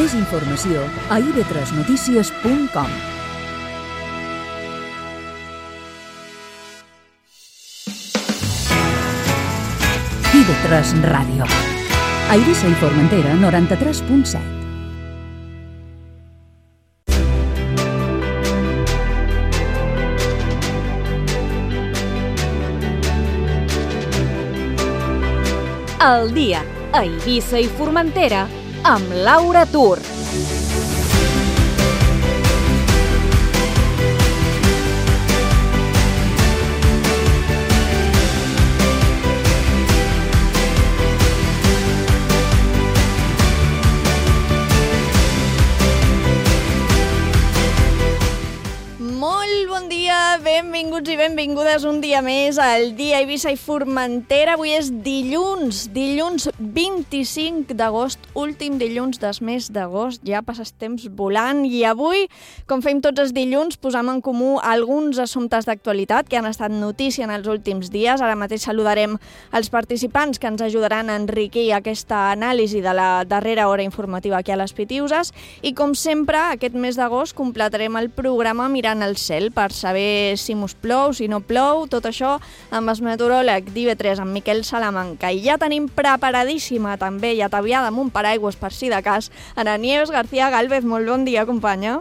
Més informació a ib3notícies.com. IB3 Ràdio. A Eivissa i Formentera, 93.7. El dia a Eivissa i Formentera amb Laura Tur. Benvinguts i benvingudes un dia més al dia Eivissa i Formentera. Avui és dilluns 25 d'agost, últim dilluns del mes d'agost. Ja passes temps volant i avui, com fem tots els dilluns, posam en comú alguns assumptes d'actualitat que han estat notícia en els últims dies. Ara mateix saludarem els participants que ens ajudaran a enriquir aquesta anàlisi de la darrera hora informativa aquí a les Pitiuses. I com sempre, aquest mes d'agost completarem el programa mirant al cel per saber si mos plou, si no plou, tot això amb el meteoròleg d'IB3, amb Miquel Salamanca. I ja tenim preparadíssima també i ataviada amb un paraigües per si de cas Ana Nieves García Gálvez. Molt bon dia, companya.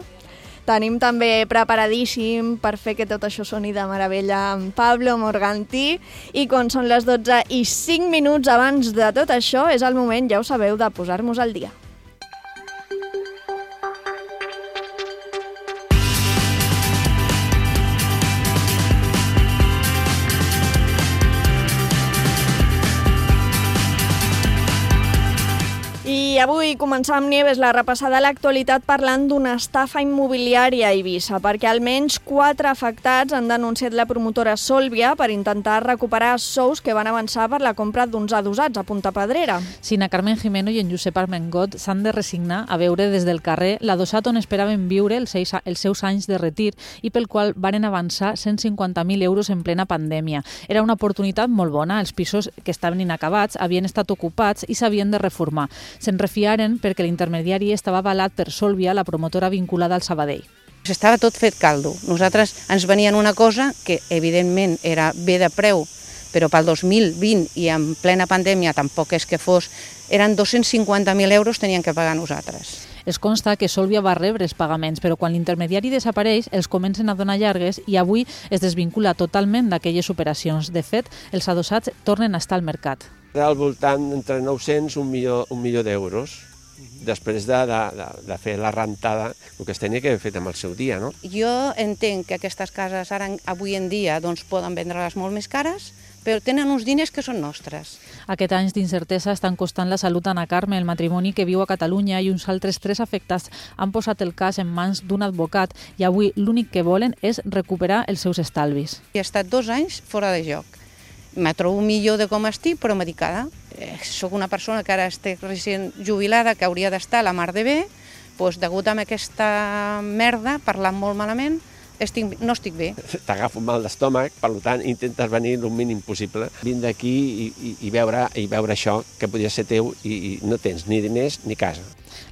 Tenim també preparadíssim per fer que tot això soni de meravella amb Pablo Morganti. I quan són les 12:05 abans de tot això, és el moment, ja ho sabeu, de posar-nos al dia. I avui començam, Nieves, la repassada a l'actualitat parlant d'una estafa immobiliària a Eivissa, perquè almenys 4 afectats han denunciat la promotora Sòlvia per intentar recuperar sous que van avançar per la compra d'uns adossats a Punta Pedrera. Sí, na Carmen Jimeno i en Josep Armengot s'han de resignar a veure des del carrer l'adossat on esperaven viure els seus anys de retir i pel qual varen avançar 150.000 euros en plena pandèmia. Era una oportunitat molt bona, els pisos que estaven inacabats havien estat ocupats i s'havien de reformar. Se'n refiaren perquè l'intermediari estava avalat per Sòlvia, la promotora vinculada al Sabadell. Estava tot fet caldo. Nosaltres ens venien una cosa que evidentment era bé de preu, però pel 2020 i en plena pandèmia tampoc és que fos, eren 250.000 euros tenien que pagar nosaltres. Es consta que Sòlvia va rebre els pagaments, però quan l'intermediari desapareix els comencen a donar llargues i avui es desvincula totalment d'aquelles operacions. De fet, els adossats tornen a estar al mercat. Al voltant entre 900 i un milió d'euros, després de fer la rentada, el que es tenia que haver fet amb el seu dia, no? Jo entenc que aquestes cases ara, avui en dia, doncs, poden vendre-les molt més cares, però tenen uns diners que són nostres. Aquest anys d'incertesa estan costant la salut a Ana Carme, el matrimoni que viu a Catalunya, i uns altres 3 afectats han posat el cas en mans d'un advocat i avui l'únic que volen és recuperar els seus estalvis. He estat 2 anys fora de joc. Me trobo millor de com estic, però medicada. Soc una persona que ara estic recent jubilada, que hauria d'estar a la mar de bé, doncs degut a aquesta merda, parlant molt malament, no estic bé. T'agafo un mal d'estómac, per tant intentes venir el mínim possible, vindre aquí i veure això que podria ser teu i no tens ni diners ni casa.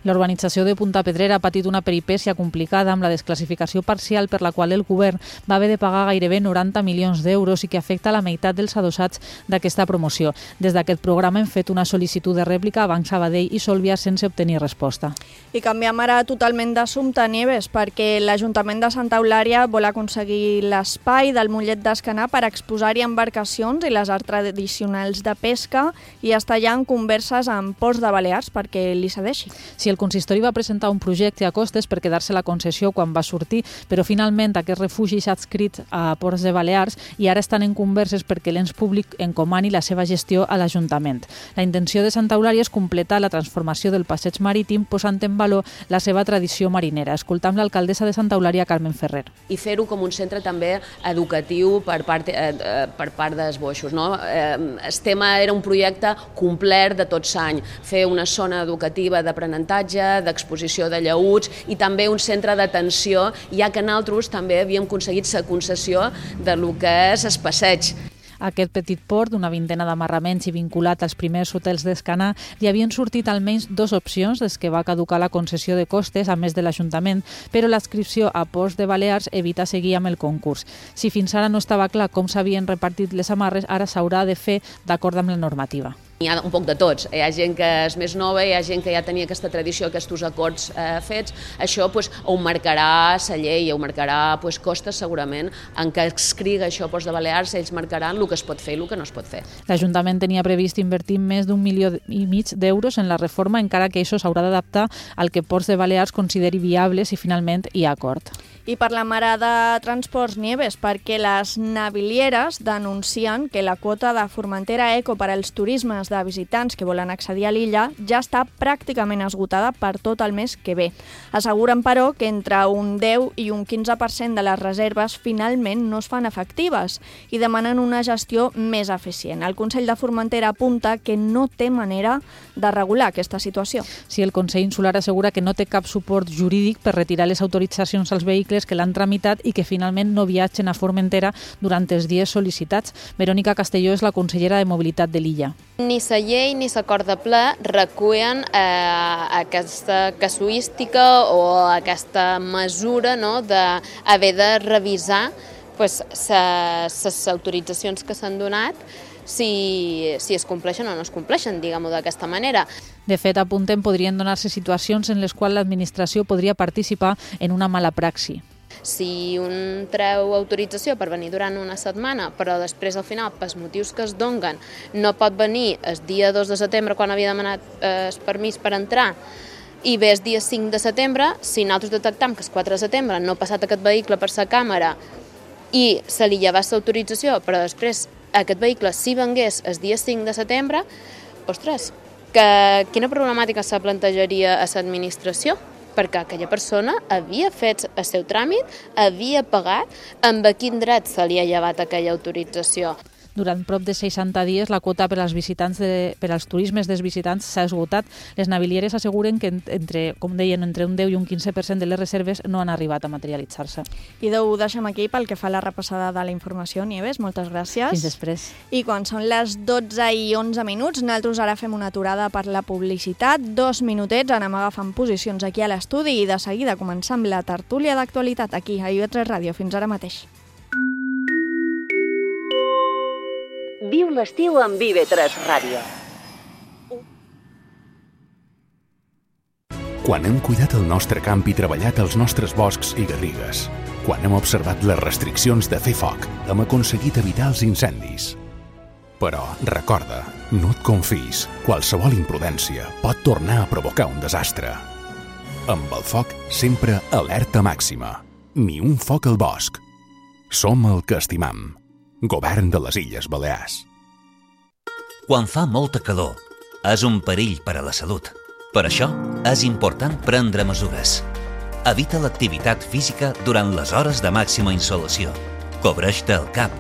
La urbanització de Punta Pedrera ha patit una peripècia complicada amb la desclassificació parcial per la qual el govern va haver de pagar gairebé 90 milions d'euros i que afecta la meitat dels adossats d'aquesta promoció. Des d'aquest programa hem fet una sol·licitud de rèplica a Banc Sabadell i Sòlvia sense obtenir resposta. I canviem ara totalment d'assumpte, Nieves, perquè l'Ajuntament de Santa Eulària vol aconseguir l'espai del Mollet d'Escanar per exposar-hi embarcacions i les arts tradicionals de pesca i està ja en converses amb Ports de Balears perquè li cedeixi. Si el consistori va presentar un projecte a costes per quedar-se la concessió quan va sortir, però finalment aquest refugi s'ha adscrit a Ports de Balears i ara estan en converses perquè l'ens públic encomani la seva gestió a l'Ajuntament. La intenció de Santa Eulària és completar la transformació del passeig marítim posant en valor la seva tradició marinera. Escoltam l'alcaldessa de Santa Eulària, Carmen Ferrer. I fer-ho com un centre també educatiu per part d'esboixos. No? El tema era un projecte complet de tot l'any, fer una zona educativa d'aprenentatge, d'exposició de llaüts i també un centre d'atenció, ja que nosaltres també havíem aconseguit la concessió de lo que és el passeig. Aquest petit port, d'una vintena d'amarraments i vinculat als primers hotels d'Escanar, li havien sortit almenys 2 opcions des que va caducar la concessió de costes, a més de l'Ajuntament, però l'adscripció a Ports de Balears evita seguir amb el concurs. Si fins ara no estava clar com s'havien repartit les amarres, ara s'haurà de fer d'acord amb la normativa. Hi ha un poc de tots. Hi ha gent que és més nova, hi ha gent que ja tenia aquesta tradició, aquests acords fets. Això ho marcarà la llei, ho marcarà costes segurament. En què escriga això Ports de Balears, ells marcaran el que es pot fer i el que no es pot fer. L'Ajuntament tenia previst invertir més d'1,5 milió d'euros en la reforma, encara que això s'haurà d'adaptar al que Ports de Balears consideri viable si finalment hi ha acord. I per la mare de Transports, Nieves, perquè les navilieres denuncien que la quota de Formentera Eco per als turismes de visitants que volen accedir a l'illa ja està pràcticament esgotada per tot el mes que ve. Asseguren, però, que entre un 10 i un 15% de les reserves finalment no es fan efectives i demanen una gestió més eficient. El Consell de Formentera apunta que no té manera de regular aquesta situació. Sí, el Consell Insular assegura que no té cap suport jurídic per retirar les autoritzacions als vehicles que l'han tramitat i que finalment no viatgen a Formentera durant els dies sol·licitats. Verònica Castelló és la consellera de Mobilitat de l'illa. Ni la llei ni l'acord de ple recullen aquesta casuística o aquesta mesura d'haver de revisar les autoritzacions que s'han donat si es compleixen o no es compleixen, diguem-ho d'aquesta manera. De fet, apunten, podrien donar-se situacions en les quals l'administració podria participar en una mala praxi. Si un treu autorització per venir durant una setmana, però després al final, pels motius que es donen, no pot venir el dia 2 de setembre quan havia demanat el permís per entrar, i ve el dia 5 de setembre, si nosaltres detectam que el 4 de setembre no ha passat aquest vehicle per la càmera i se li llevés l'autorització, però després aquest vehicle si vengués el dia 5 de setembre, ostres, quina problemàtica se plantejaria a l'administració? Perquè aquella persona havia fet el seu tràmit, havia pagat, amb quin dret se li ha llevat aquella autorització. Durant prop de 60 dies, la quota per als turismes dels visitants s'ha esgotat. Les navilieres asseguren que, com deien, entre un 10 i un 15% de les reserves no han arribat a materialitzar-se. I ho deixem aquí pel que fa a la repassada de la informació. Nieves, moltes gràcies. Fins després. I quan són les 12 i 11 minuts, nosaltres ara fem una aturada per la publicitat. 2 minutets, anem agafant posicions aquí a l'estudi i de seguida començam la tertúlia d'actualitat aquí a IB3 Ràdio. Fins ara mateix. Viu l'estiu amb IB3 Ràdio. Quan hem cuidat el nostre camp i treballat els nostres boscs i garrigues, quan hem observat les restriccions de fer foc, hem aconseguit evitar els incendis. Però, recorda, no et confis. Qualsevol imprudència pot tornar a provocar un desastre. Amb el foc, sempre alerta màxima. Ni un foc al bosc. Som el que estimam. Govern de les Illes Balears. Quan fa molta calor, és un perill per a la salut. Per això, és important prendre mesures. Evita l'activitat física durant les hores de màxima insolació. Cobreix-te el cap,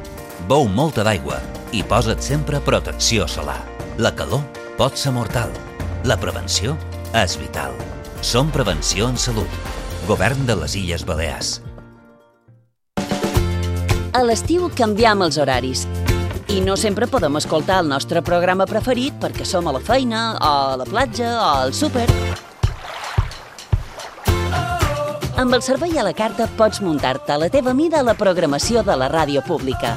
beu molta d'aigua i posa't sempre protecció solar. La calor pot ser mortal. La prevenció és vital. Som Prevenció en Salut. Govern de les Illes Balears. A l'estiu canviem els horaris i no sempre podem escoltar el nostre programa preferit perquè som a la feina, o a la platja, o al súper. Amb el servei a la carta pots muntar-te a la teva mida la programació de la ràdio pública.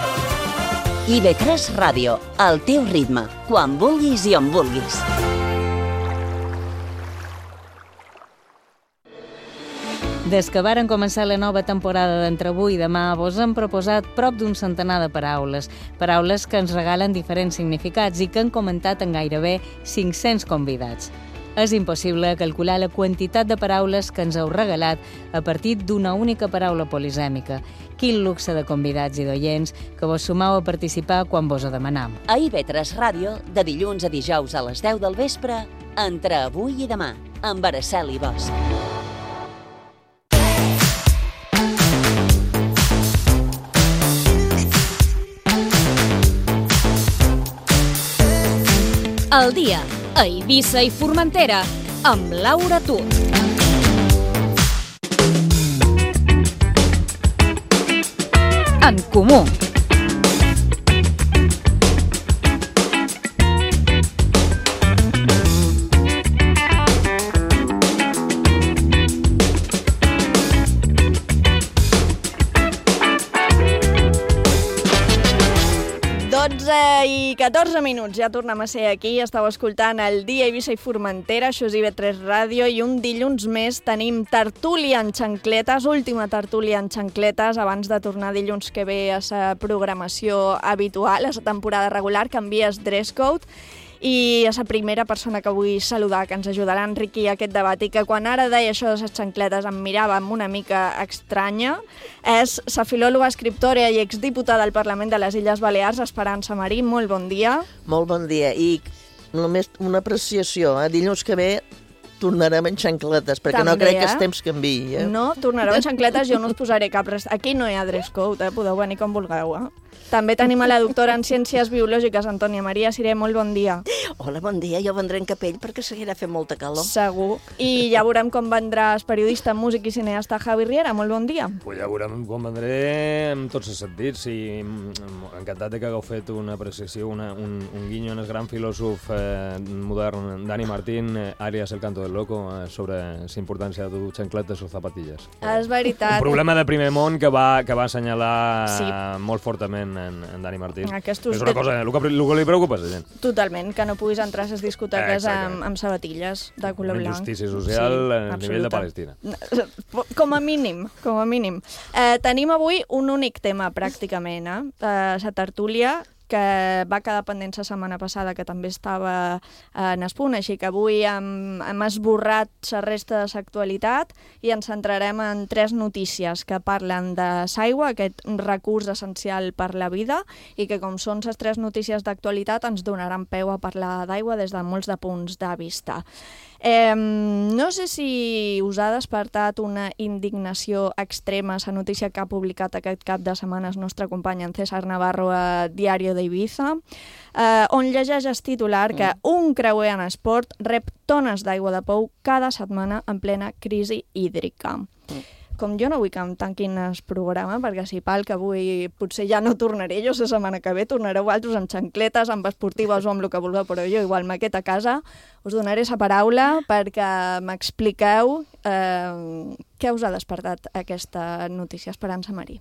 IB3 Ràdio, al teu ritme, quan vulguis i on vulguis. Des que varen començar la nova temporada d'Entre avui i demà, vos hem proposat prop d'un centenar de paraules. Paraules que ens regalen diferents significats i que han comentat en gairebé 500 convidats. És impossible calcular la quantitat de paraules que ens heu regalat a partir d'una única paraula polisèmica. Quin luxe de convidats i d'oients que vos sumau a participar quan vos ho demanam. A IB3 Ràdio, de dilluns a dijous a les 10 del vespre, Entre avui i demà, amb Araceli Bosch. El dia a Eivissa i Formentera amb Laura Tur. En comú. I 14 minuts, ja tornem a ser aquí. Estàu escoltant el Dia Eivissa i Formentera, això és IB3 Ràdio, i un dilluns més tenim tertúlia en xancletes, última tertúlia en xancletes, abans de tornar dilluns que ve a sa programació habitual, a sa temporada regular, canvies dress code. I a la primera persona que vull saludar, que ens ajudarà a enriquir aquest debat i que quan ara deia això de les xancletes em mirava amb una mica estranya, és la filòloga, escriptora i exdiputada al Parlament de les Illes Balears, Esperança Marí. Molt bon dia. Molt bon dia. I només una apreciació. Dilluns que ve tornarem en xancletes, perquè també, no crec que els temps canviï. No, tornareu en xancletes, jo no us posaré cap... Aquí no hi ha dress code, podeu venir com vulgueu. També tenim a la doctora en Ciències Biològiques, Antònia Maria Siré. Molt bon dia. Hola, bon dia. Jo vendré en capell perquè seguirà fent molta calor. Segur. I ja veurem com vendrà el periodista, músic i cineasta Javi Riera. Molt bon dia. Pues ja veurem com vendré en tots els sentits. I encantat que hagueu fet una apreciació, un guinyo en el gran filòsof modern Dani Martín, àlies El Canto del Loco, sobre la importància de dur xancletes o zapatilles. És veritat. Un problema de primer món que va assenyalar molt fortament en Dani Martín. És una cosa, el que li preocupa a la gent. Totalment, que no puguis entrar a les discoteques amb sabatilles de color blanc. Una injustícia social a nivell de Palestina. Com a mínim, com a mínim. Tenim avui un únic tema, pràcticament, la tertúlia, que va quedar pendent la setmana passada, que també estava en espunt, així que avui hem esborrat la resta de l'actualitat i ens centrarem en 3 notícies que parlen de l'aigua, aquest recurs essencial per la vida, i que com són les 3 notícies d'actualitat ens donaran peu a parlar d'aigua des de molts de punts de vista. No sé si us ha despertat una indignació extrema la notícia que ha publicat aquest cap de setmana el nostre company en César Navarro a Diario de Ibiza, on llegeix el titular que un creuer en esport rep tones d'aigua de pou cada setmana en plena crisi hídrica. Com jo no vull que em tanquin el programa, perquè si pal que avui potser ja no tornaré jo la setmana que ve, tornareu altres amb xancletes, amb esportives o amb el que vulgueu, però jo igual me quedo a casa, us donaré la paraula perquè m'expliqueu què us ha despertat aquesta notícia, Esperança Marí.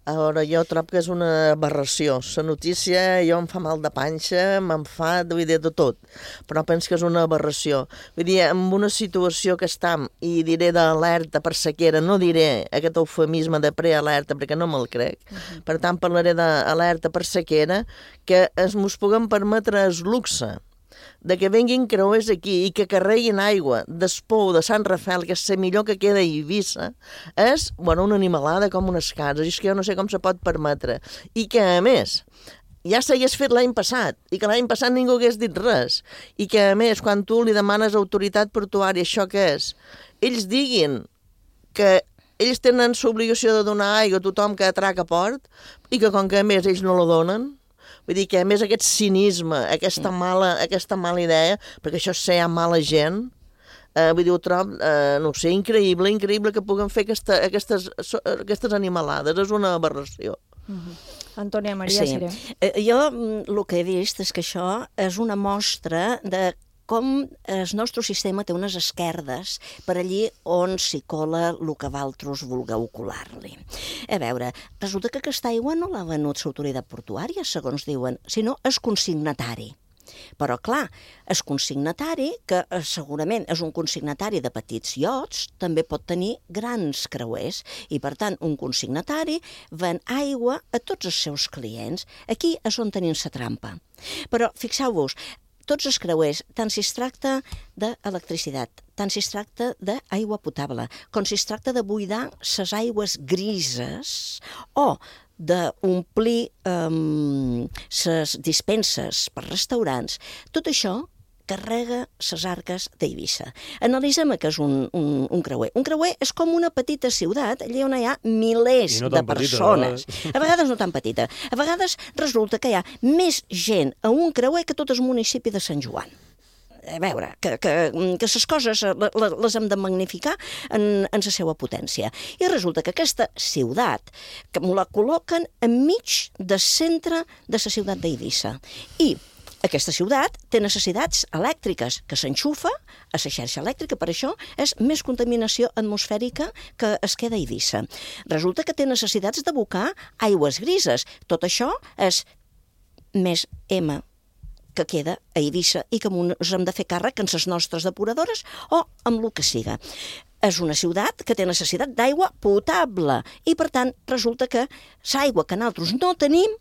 A veure, jo trobo que és una aberració. La notícia, jo em fa mal de panxa, me'n fa, vull dir, de tot. Però penso que és una aberració. Vull dir, en una situació que estem, i diré d'alerta per sequera, no diré aquest eufemisme de prealerta, perquè no me'l crec. Per tant, parlaré d'alerta per sequera, que ens puguem permetre el luxe de que venguin creuers aquí i que carreguin aigua d'Espou, de Sant Rafael, que és la millor que queda a Eivissa, és, bueno, una animalada com unes cases, i és que jo no sé com se pot permetre. I que, a més, ja s'hagués fet l'any passat, i que l'any passat ningú hagués dit res, i que, a més, quan tu li demanes a autoritat portuària això què és, ells diguin que ells tenen l'obligació de donar aigua a tothom que atraca a port, i que, com que, a més, ells no la donen. Vull dir que, a més, aquest cinisme, aquesta mala idea, perquè això sé, hi ha mala gent, vull dir, ho trobo, no sé, increïble que puguem fer aquestes animalades. És una aberració. Antònia Maria Siré. Jo el que he vist és que això és una mostra de com el nostre sistema té unes esquerdes per allí on s'hi cola el que vosaltres vulgueu colar-li. A veure, resulta que aquesta aigua no l'ha venut l'autoritat portuària, segons diuen, sinó el consignatari. Però, clar, el consignatari, que segurament és un consignatari de petits iots, també pot tenir grans creuers. I, per tant, un consignatari ven aigua a tots els seus clients. Aquí és on tenim la trampa. Però, fixeu-vos, tots els creuers, tant si es tracta d'electricitat, tant si es tracta d'aigua potable, com si es tracta de buidar les aigües grises o d'omplir les dispenses per restaurants, tot això carrega les arques d'Eivissa. Analitzem què és un creuer. Un creuer és com una petita ciutat, allà on hi ha milers de persones. A vegades no tan petita. A vegades resulta que hi ha més gent a un creuer que tot el municipi de Sant Joan. A veure, que les coses les hem de magnificar en la seva potència. I resulta que aquesta ciutat que la col·loquen enmig del centre de la ciutat d'Eivissa. I aquesta ciutat té necessitats elèctriques que s'enxufa a la xarxa elèctrica, per això és més contaminació atmosfèrica que es queda a Eivissa. Resulta que té necessitats d'abocar aigües grises. Tot això és més M que queda a Eivissa i que ens hem de fer càrrec en les nostres depuradores o amb el que siga. És una ciutat que té necessitat d'aigua potable i, per tant, resulta que l'aigua que nosaltres no tenim,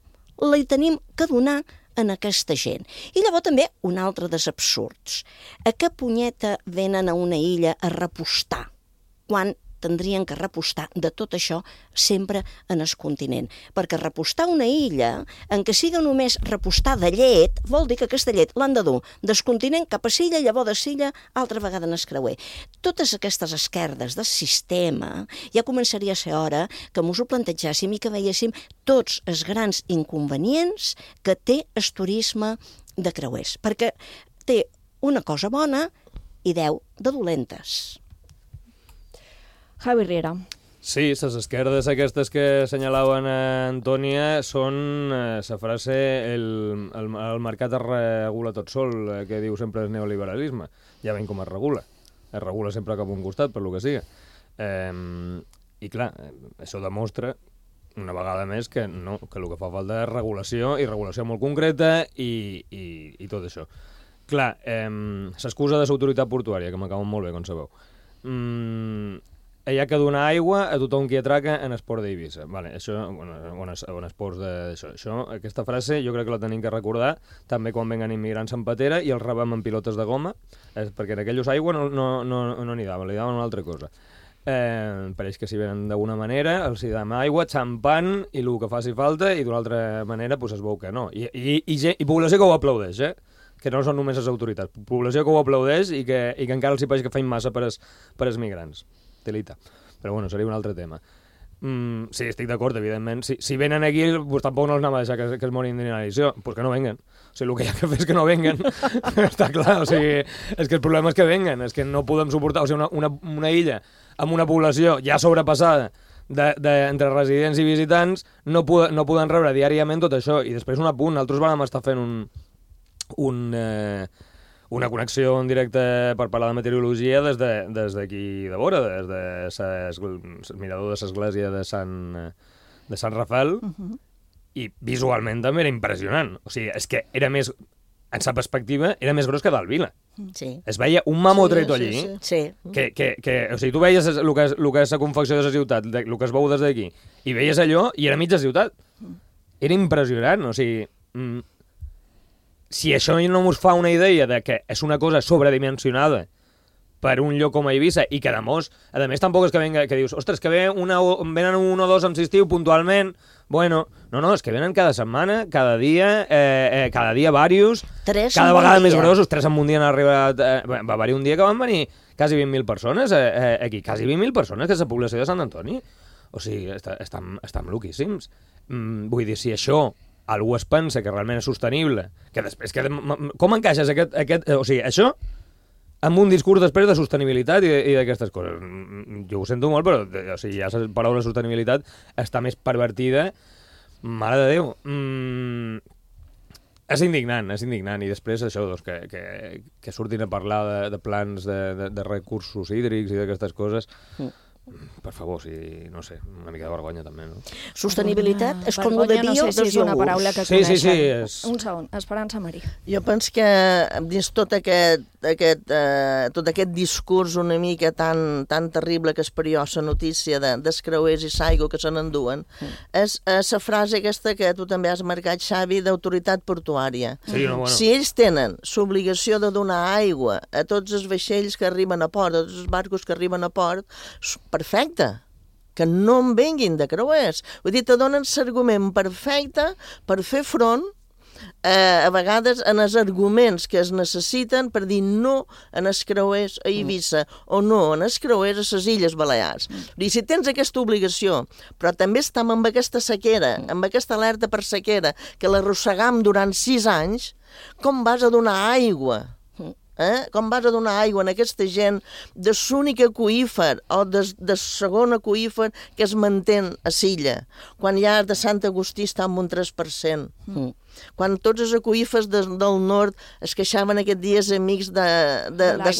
la tenim que donar en aquesta gent. I llavors també un altre dels absurds. A què punyeta venen a una illa a repostar quan tindrien que repostar de tot això sempre en el continent? Perquè repostar una illa, en què siga només repostar de llet, vol dir que aquesta llet l'han de dur del continent cap a Silla, llavors de Silla, altra vegada en el creuer. Totes aquestes esquerdes del sistema ja començaria a ser hora que ens ho plantejàssim i que veiéssim tots els grans inconvenients que té el turisme de creuers. Perquè té una cosa bona i 10 de dolentes. Javi Riera. Sí, les esquerdes aquestes que assenyalaven a Antònia són la frase el mercat es regula tot sol, que diu sempre el neoliberalisme. Ja veiem com es regula. Es regula sempre cap a un costat, per lo que siga. I clar, això demostra una vegada més que no, que el que fa falta és regulació, i regulació molt concreta i tot això. Clar, s'excusa de l'autoritat portuària, que m'acaben molt bé, com sabeu. Hi ha que donar aigua a tothom qui atraca en esport d'Eivissa. Vale, això, en esports d'això. Aquesta frase jo crec que la tenim que recordar també quan venguen immigrants en patera i els rebem en pilotes de goma, perquè en aquells aigua no n'hi daven, li daven una altra cosa. Pareix que si venen d'alguna manera els hi dam aigua, xampant i el que faci falta, i d'una altra manera pues, es veu que no. I població que ho aplaudeix, que no són només les autoritats. Població que ho aplaudeix i que encara els hi pareix que feim massa per als migrants. Telita. Però bueno, seria un altre tema. Sí, estic d'acord, evidentment. Si venen aquí, pues, tampoc no els anem a deixar que es morin d'inanició. Pues que no venguen. O sigui, el que hi ha que fer és que no venguen. Està clar, o sigui, és que el problema és que venguen, és que no podem suportar, o sigui, una illa amb una població ja sobrepassada entre residents i visitants no poden rebre diàriament tot això. I després un apunt, nosaltres vam estar fent una connexió en directe per parlar de meteorologia des d'aquí de vora, des del mirador de l'església de Sant Rafael, i visualment també era impressionant. O sigui, és que era més, en sa perspectiva, era més gros que d'Alvila. Sí. Es veia un mamotreto allí, sí. O sigui, tu veies el que és la confecció de la ciutat, el que es veu des d'aquí, i veies allò i era mitja ciutat. Era impressionant, o sigui... Si això no us fa una idea de que és una cosa sobredimensionada per un lloc com a Eivissa i que, a més, tampoc és que dius, ostres, que venen un o dos en estiu puntualment, bueno, no, és que venen cada setmana, cada dia diversos, cada vegada més grossos, 3 en un dia han arribat, va haver-hi un dia que van venir quasi 20.000 persones aquí, quasi 20.000 persones, que és la població de Sant Antoni. O sigui, estan loquíssims. Vull dir, si això algú es pensa que realment és sostenible, que després... Com encaixes aquest... O sigui, això amb un discurs després de sostenibilitat i d'aquestes coses? Jo ho sento molt, però o sigui, ja la paraula sostenibilitat està més pervertida. Mare de Déu. És indignant. I després això, doncs, que surtin a parlar de plans de recursos hídrics i d'aquestes coses... Per favor, no sé, una mica de vergonya també, no? Sostenibilitat és com el de bio no sé si és una paraula que coneixen. Sí. Un segon, Esperança Marí. Jo penso que dins tot aquest discurs una mica tan terrible que és per jo, la notícia dels creuers i l'aigua que se n'enduen, és la frase aquesta que tu també has marcat, Xavi, d'autoritat portuària. Sí, no, bueno. Si ells tenen l'obligació de donar aigua a tots els vaixells que arriben a port, a tots els barcos que arriben a port, perfecte, que no en venguin de creuers. Vull dir, te donen l'argument perfecte per fer front a vegades en els arguments que es necessiten per dir no en els creuers a Eivissa o no en els creuers a les Illes Balears. I si tens aquesta obligació, però també estem amb aquesta sequera, amb aquesta alerta per sequera, que l'arrossegam durant 6 anys, com vas a donar aigua? Com vas a donar aigua a aquesta gent de l'únic aqüífer o de segon aqüífer que es mantén a Silla, quan ja de Sant Agustí està en un 3%. Quan tots els aqüífers del nord es queixaven aquests dies amics de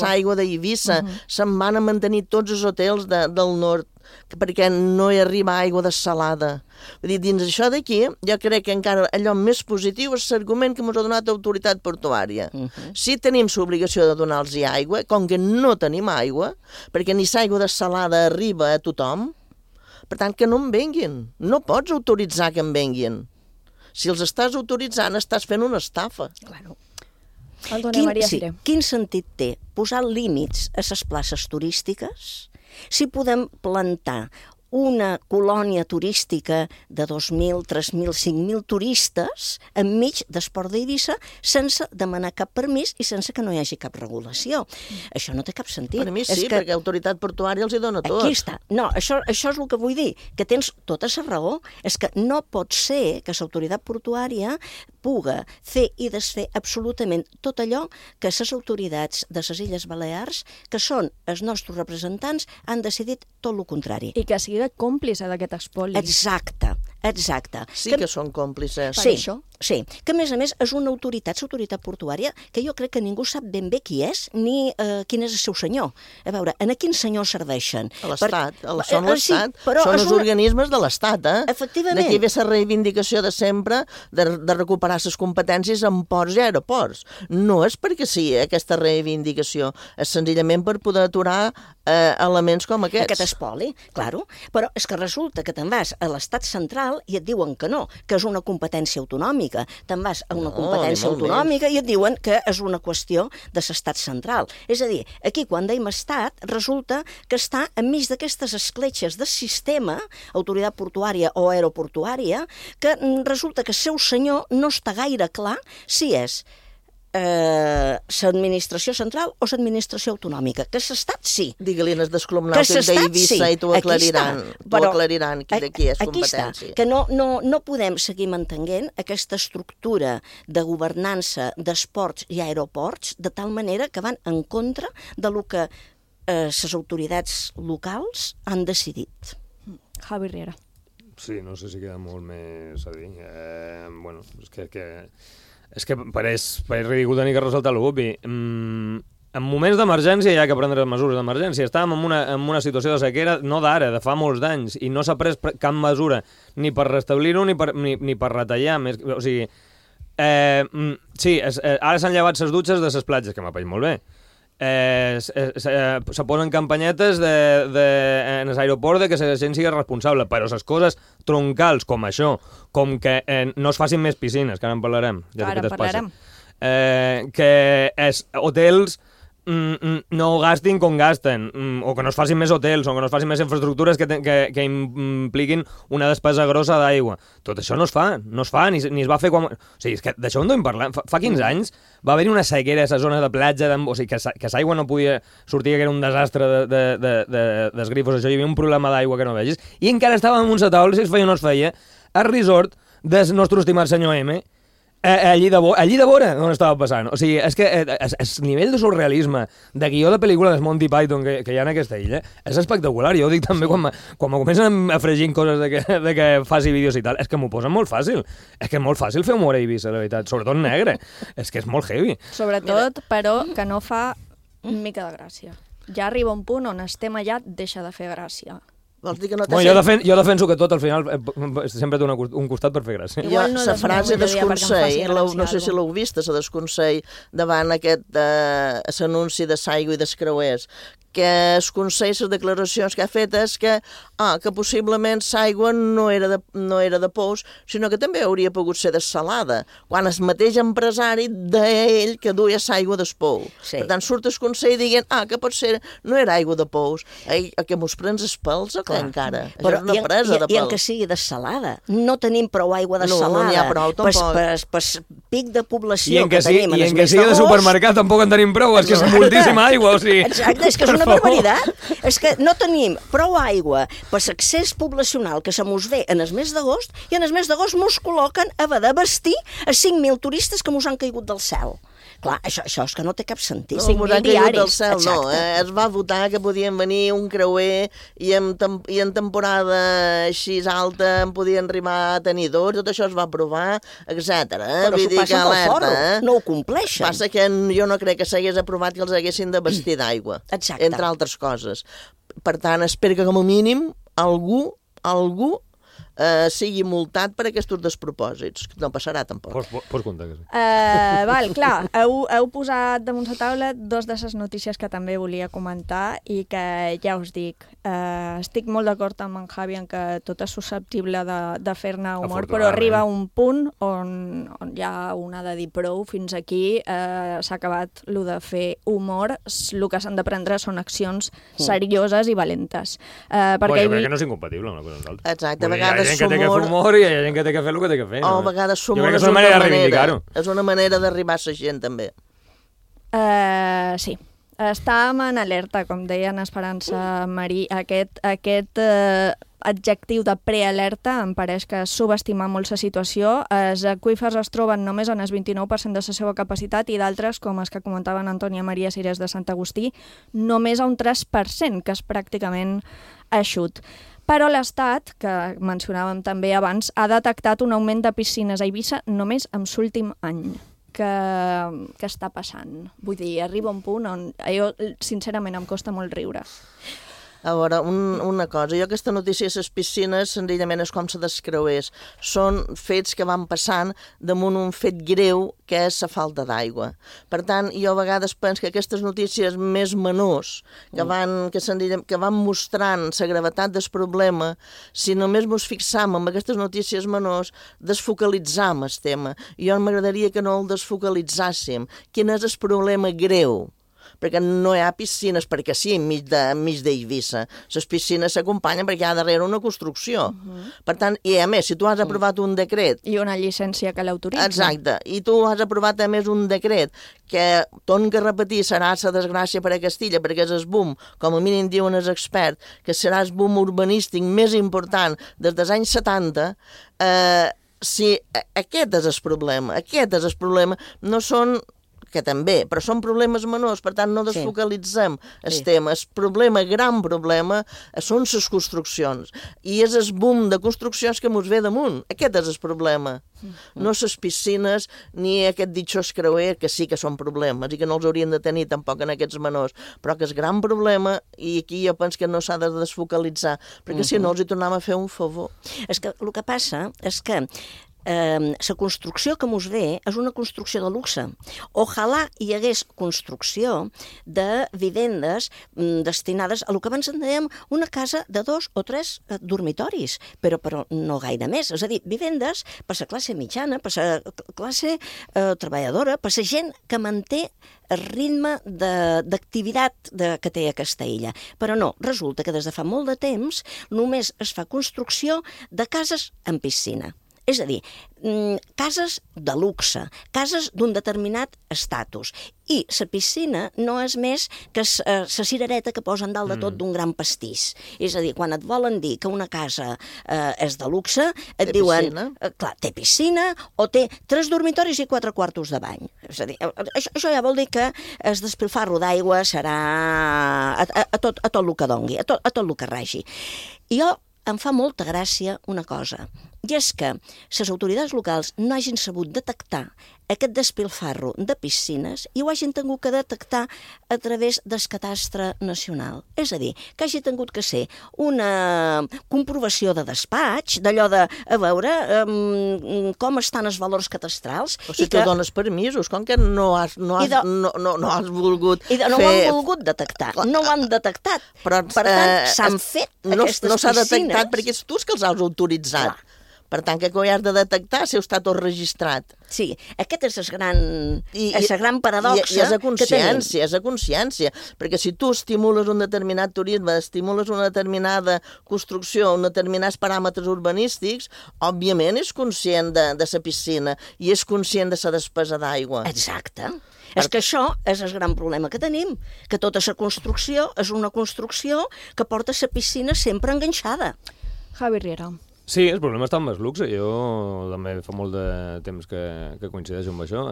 l'aigua d'Eivissa, se'n van a mantenir tots els hotels del nord, perquè no hi arriba aigua dessalada. Vull dir, dins això d'aquí, jo crec que encara allò més positiu és l'argument que ens ha donat l'autoritat portuària. Si tenim l'obligació de donar-los aigua, com que no tenim aigua, perquè ni l'aigua dessalada arriba a tothom, per tant, que no en venguin. No pots autoritzar que en venguin. Si els estàs autoritzant, estàs fent una estafa. Claro. Maria Quin sentit té posar límits a les places turístiques si podem plantar una colònia turística de 2.000, 3.000, 5.000 turistes enmig d'Esport d'Eivissa sense demanar cap permís i sense que no hi hagi cap regulació. Això no té cap sentit. Per mi sí, perquè l'autoritat portuària els hi dona tot. Aquí està. No, això és el que vull dir, que tens tota la raó. És que no pot ser que l'autoritat portuària puga fer i desfer absolutament tot allò que les autoritats de les Illes Balears, que són els nostres representants, han decidit tot el contrari. I que sigui còmplice d'aquest espoli. Exacte. Sí que són còmplices. Sí, que a més és una autoritat, l'autoritat portuària, que jo crec que ningú sap ben bé qui és, ni quin és el seu senyor. A veure, a quin senyor serveixen? A l'Estat, són l'Estat, són els organismes de l'Estat, Efectivament. D'aquí ve la reivindicació de sempre de recuperar les competències en ports i aeroports. No és perquè sí, aquesta reivindicació, és senzillament per poder aturar elements com aquests. Aquest espoli, claro. Però és que resulta que te'n vas a l'Estat central i et diuen que no, que és una competència autonòmica. Te'n vas a una competència autonòmica i et diuen que és una qüestió de l'Estat central. És a dir, aquí quan dèiem estat, resulta que està enmig d'aquestes escletxes de sistema, autoritat portuària o aeroportuària, que resulta que el seu senyor no està gaire clar si és l'administració central o l'administració autonòmica. Que l'Estat sí. Digue-li en el descolomnàutic d'Eivissa i t'ho aclariran. T'ho aclariran de qui és competència. Aquí està, que no podem seguir mantenint aquesta estructura de governança d'esports i aeroports de tal manera que van en contra de lo que les autoritats locals han decidit. Javi Riera. Sí, no sé si queda molt més a dir. Bueno, és que pareix ridícul tenir que ressaltar l'obvi. En moments d'emergència hi ha que prendre mesures d'emergència. Estàvem en una situació de sequera, no d'ara, de fa molts d'anys, i no s'ha pres cap mesura ni per restablir-ho ni per retallar. O sigui, sí, ara s'han llevat les dutxes de les platges, que m'ha paït molt bé. Se posen campanyetes en l'aeroport que la gent sigui responsable, però les coses troncals com això, com que no es facin més piscines, que ara en parlarem, ara parlarem, que hotels no gastin com gasten, o que no es facin més hotels, o que no es facin més infraestructures que impliquin una despesa grossa d'aigua. Tot això no es fa, ni es va fer quan... O sigui, és que d'això en parlar. Fa 15 anys va haver-hi una sequera a la zona de platja, o sigui, que l'aigua no podia sortir, que era un desastre dels grifos, això, hi havia un problema d'aigua que no vegis, i encara estàvem en un setaol, si es feia o no es feia, al resort del nostre estimat senyor M, allí de vora on estava passant. O sigui, és que el nivell de surrealisme de guió de pel·lícula de Monty Python que hi ha en aquesta illa és espectacular. Jo ho dic també quan me comencen afregint coses de que faci vídeos i tal. És que m'ho posen molt fàcil. És que és molt fàcil fer humor a Eivissa, la veritat. Sobretot negre. És que és molt heavy. Sobretot, però, que no fa mica de gràcia. Ja arriba un punt on estem allà, deixa de fer gràcia. Vols dir que no jo defenso que tot al final sempre té un costat per fer gràcia. La frase d'esconsell, no sé si l'heu vist, la desconsell davant aquest anunci de l'aigua i dels creuers, que es consell les declaracions que ha fet és que possiblement l'aigua no era de pous, sinó que també hauria pogut ser dessalada, quan el mateix empresari deia ell que duia l'aigua del pou. Per tant, surt el consell dient que potser no era aigua de pous. Que mos prens els pèls o què encara? Però i en que sigui dessalada. No tenim prou aigua dessalada. No n'hi ha prou, tampoc. Per pic de població que tenim. I en que sigui de supermercat tampoc en tenim prou, és que és moltíssima aigua. Exacte, és que és una barbaritat. És que no tenim prou aigua per l'accés poblacional que se mos ve en el mes d'agost, i en el mes d'agost mos col·loquen a haver de vestir a 5.000 turistes que mos han caigut del cel. Clar, això és que no té cap sentit. 5.000 diaris. No, es va votar que podien venir un creuer i en temporada així alta en podien arribar a tenir 2, tot això es va aprovar, etc. Però s'ho passen pel forro, no ho compleixen. Passa que jo no crec que s'hagués aprovat que els haguessin de vestir d'aigua, entre altres coses. Per tant, espero que com a mínim algú sigui multat per aquests despropòsits. No passarà, tampoc. Pots comptar que sí. Clar, heu posat damunt la taula 2 de les notícies que també volia comentar i que ja us dic, estic molt d'acord amb en Javi en que tot és susceptible de fer-ne humor, però arriba un punt on ja un ha de dir prou, fins aquí s'ha acabat el de fer humor, el que s'han de prendre són accions serioses i valentes. Jo crec que no és incompatible una cosa amb l'altra. Exacte, a vegades hi ha gent que té que fer humor i hi ha gent que té que fer el que té que fer. O a vegades humor és una manera d'arribar a la gent, també. Sí. Estàvem en alerta, com deia en Esperança Marí. Aquest adjectiu de prealerta em pareix que subestima molt la situació. Els aqüífers es troben només en el 29% de la seva capacitat i d'altres, com els que comentaven Antònia Maria Cires de Sant Agustí, només a un 3%, que és pràcticament eixut. Però l'Estat, que mencionàvem també abans, ha detectat un augment de piscines a Eivissa només en l'últim any. Què està passant? Vull dir, arriba un punt on jo, sincerament, em costa molt riure. A veure, una cosa, jo aquesta notícia de les piscines senzillament és com se descreués. Són fets que van passant damunt un fet greu que és la falta d'aigua. Per tant, jo a vegades penso que aquestes notícies més menors que van mostrant la gravetat del problema, si només ens fixam en aquestes notícies menors, desfocalitzam el tema. Jo m'agradaria que no el desfocalitzàssim. Quin és el problema greu? Perquè no hi ha piscines perquè sí, enmig d'Eivissa. Les piscines s'acompanyen perquè hi ha darrere una construcció. Per tant, i a més, si tu has aprovat un decret... I una llicència que l'autoritza. Exacte. I tu has aprovat a més un decret que, torno a repetir, serà la desgràcia per a Castilla, perquè és el boom, com a mínim diuen els experts, que serà el boom urbanístic més important des dels anys 70, si aquest és el problema, no són... que també, però són problemes menors, per tant no desfocalitzem el tema. El gran problema, són les construccions. I és el boom de construccions que ens ve damunt. Aquest és el problema. No les piscines ni aquest ditxós creuer, que sí que són problemes i que no els haurien de tenir tampoc en aquests menors, però que és gran problema i aquí jo penso que no s'ha de desfocalitzar, perquè si no els hi tornem a fer un favor. És que el que passa és que la construcció que mos ve és una construcció de luxe. Ojalà hi hagués construcció de vivendes destinades a el que abans en dèiem una casa de 2 o 3 dormitoris, però no gaire més. És a dir, vivendes per la classe mitjana, per la classe treballadora, per la gent que manté el ritme d'activitat que té aquesta illa. Però no, resulta que des de fa molt de temps només es fa construcció de cases amb piscina. És a dir, cases de luxe, cases d'un determinat estatus. I la piscina no és més que la cirereta que posen dalt de tot d'un gran pastís. És a dir, quan et volen dir que una casa és de luxe, et diuen, clar, té piscina o té 3 dormitoris i 4 quartos de bany. És a dir, això ja vol dir que el despilfarro d'aigua serà a tot el que dongui, a tot el que regi. I jo em fa molta gràcia una cosa, i és que les autoritats locals no hagin sabut detectar aquest despilfarro de piscines i ho hagin tingut que detectar a través del catastre nacional. És a dir, que hagi tingut que ser una comprovació de despatx, d'allò de, a veure, com estan els valors catastrals. O si tu dones permisos, com que no has volgut fer... No ho han volgut detectar, no ho han detectat. Per tant, s'han fet aquestes piscines. No s'ha detectat perquè és tu que els has autoritzat. Per tant, que ho has de detectar si està tot registrat. Sí, aquest és la gran paradoxa que tenim. I és la consciència, perquè si tu estimules un determinat turisme, estimules una determinada construcció, uns determinats paràmetres urbanístics, òbviament és conscient de la piscina i és conscient de la despesa d'aigua. Exacte. És que això és el gran problema que tenim, que tota la construcció és una construcció que porta la piscina sempre enganxada. Javi Riera. Sí, el problema està amb el luxe. Jo també fa molt de temps que coincideixo amb això.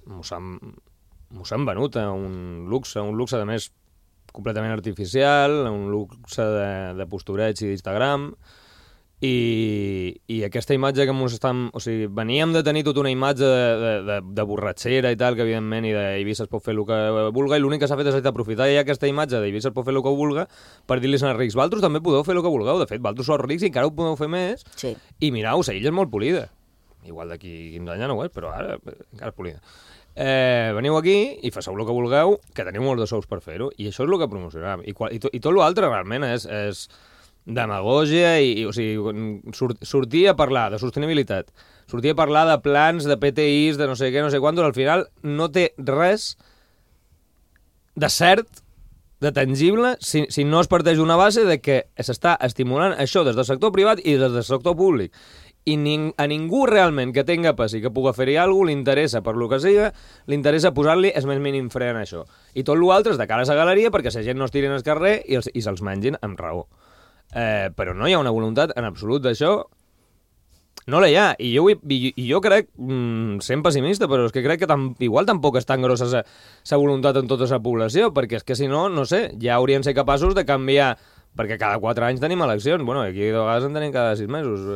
Mos han venut a un luxe de més completament artificial, un luxe de postureig i d'Instagram, i aquesta imatge que mos estan... O sigui, veníem de tenir tota una imatge de borratxera i tal, que evidentment i d'Eivissa es pot fer el que vulga, i l'únic que s'ha fet és aprofitar ja aquesta imatge d'Eivissa es pot fer el que vulga per dir-los als rics, vosaltres també podeu fer el que vulgueu. De fet, vosaltres sou rics i encara ho podeu fer més. Sí. I mirau, la illa és molt polida. Igual d'aquí 15 anys ja no ho és, però ara encara és polida. Veniu aquí i faceu el que vulgueu, que teniu molts de sous per fer-ho, i això és el que promocionam. I tot l'altre realment és demagògia, o sigui, sortir a parlar de sostenibilitat, sortir a parlar de plans, de PTIs, de no sé què, no sé quantos, al final no té res de cert, de tangible, si no es parteix d'una base de que s'està estimulant això des del sector privat i des del sector públic. I a ningú realment que tenga pas i que pugui fer-hi alguna cosa, li interessa, per lo que sigui, li interessa posar-li el més mínim fre en això. I tot l'altre és de cara a la galeria perquè la gent no es tirin al carrer i se'ls mengin amb raó. Però no hi ha una voluntat en absolut d'això, no la hi ha, i jo crec, sent pessimista, però és que crec que igual tampoc és tan grossa la voluntat en tota la població, perquè és que si no, no sé, ja haurien de ser capaços de canviar, perquè cada 4 anys tenim eleccions, bueno, aquí de vegades en tenim cada 6 mesos,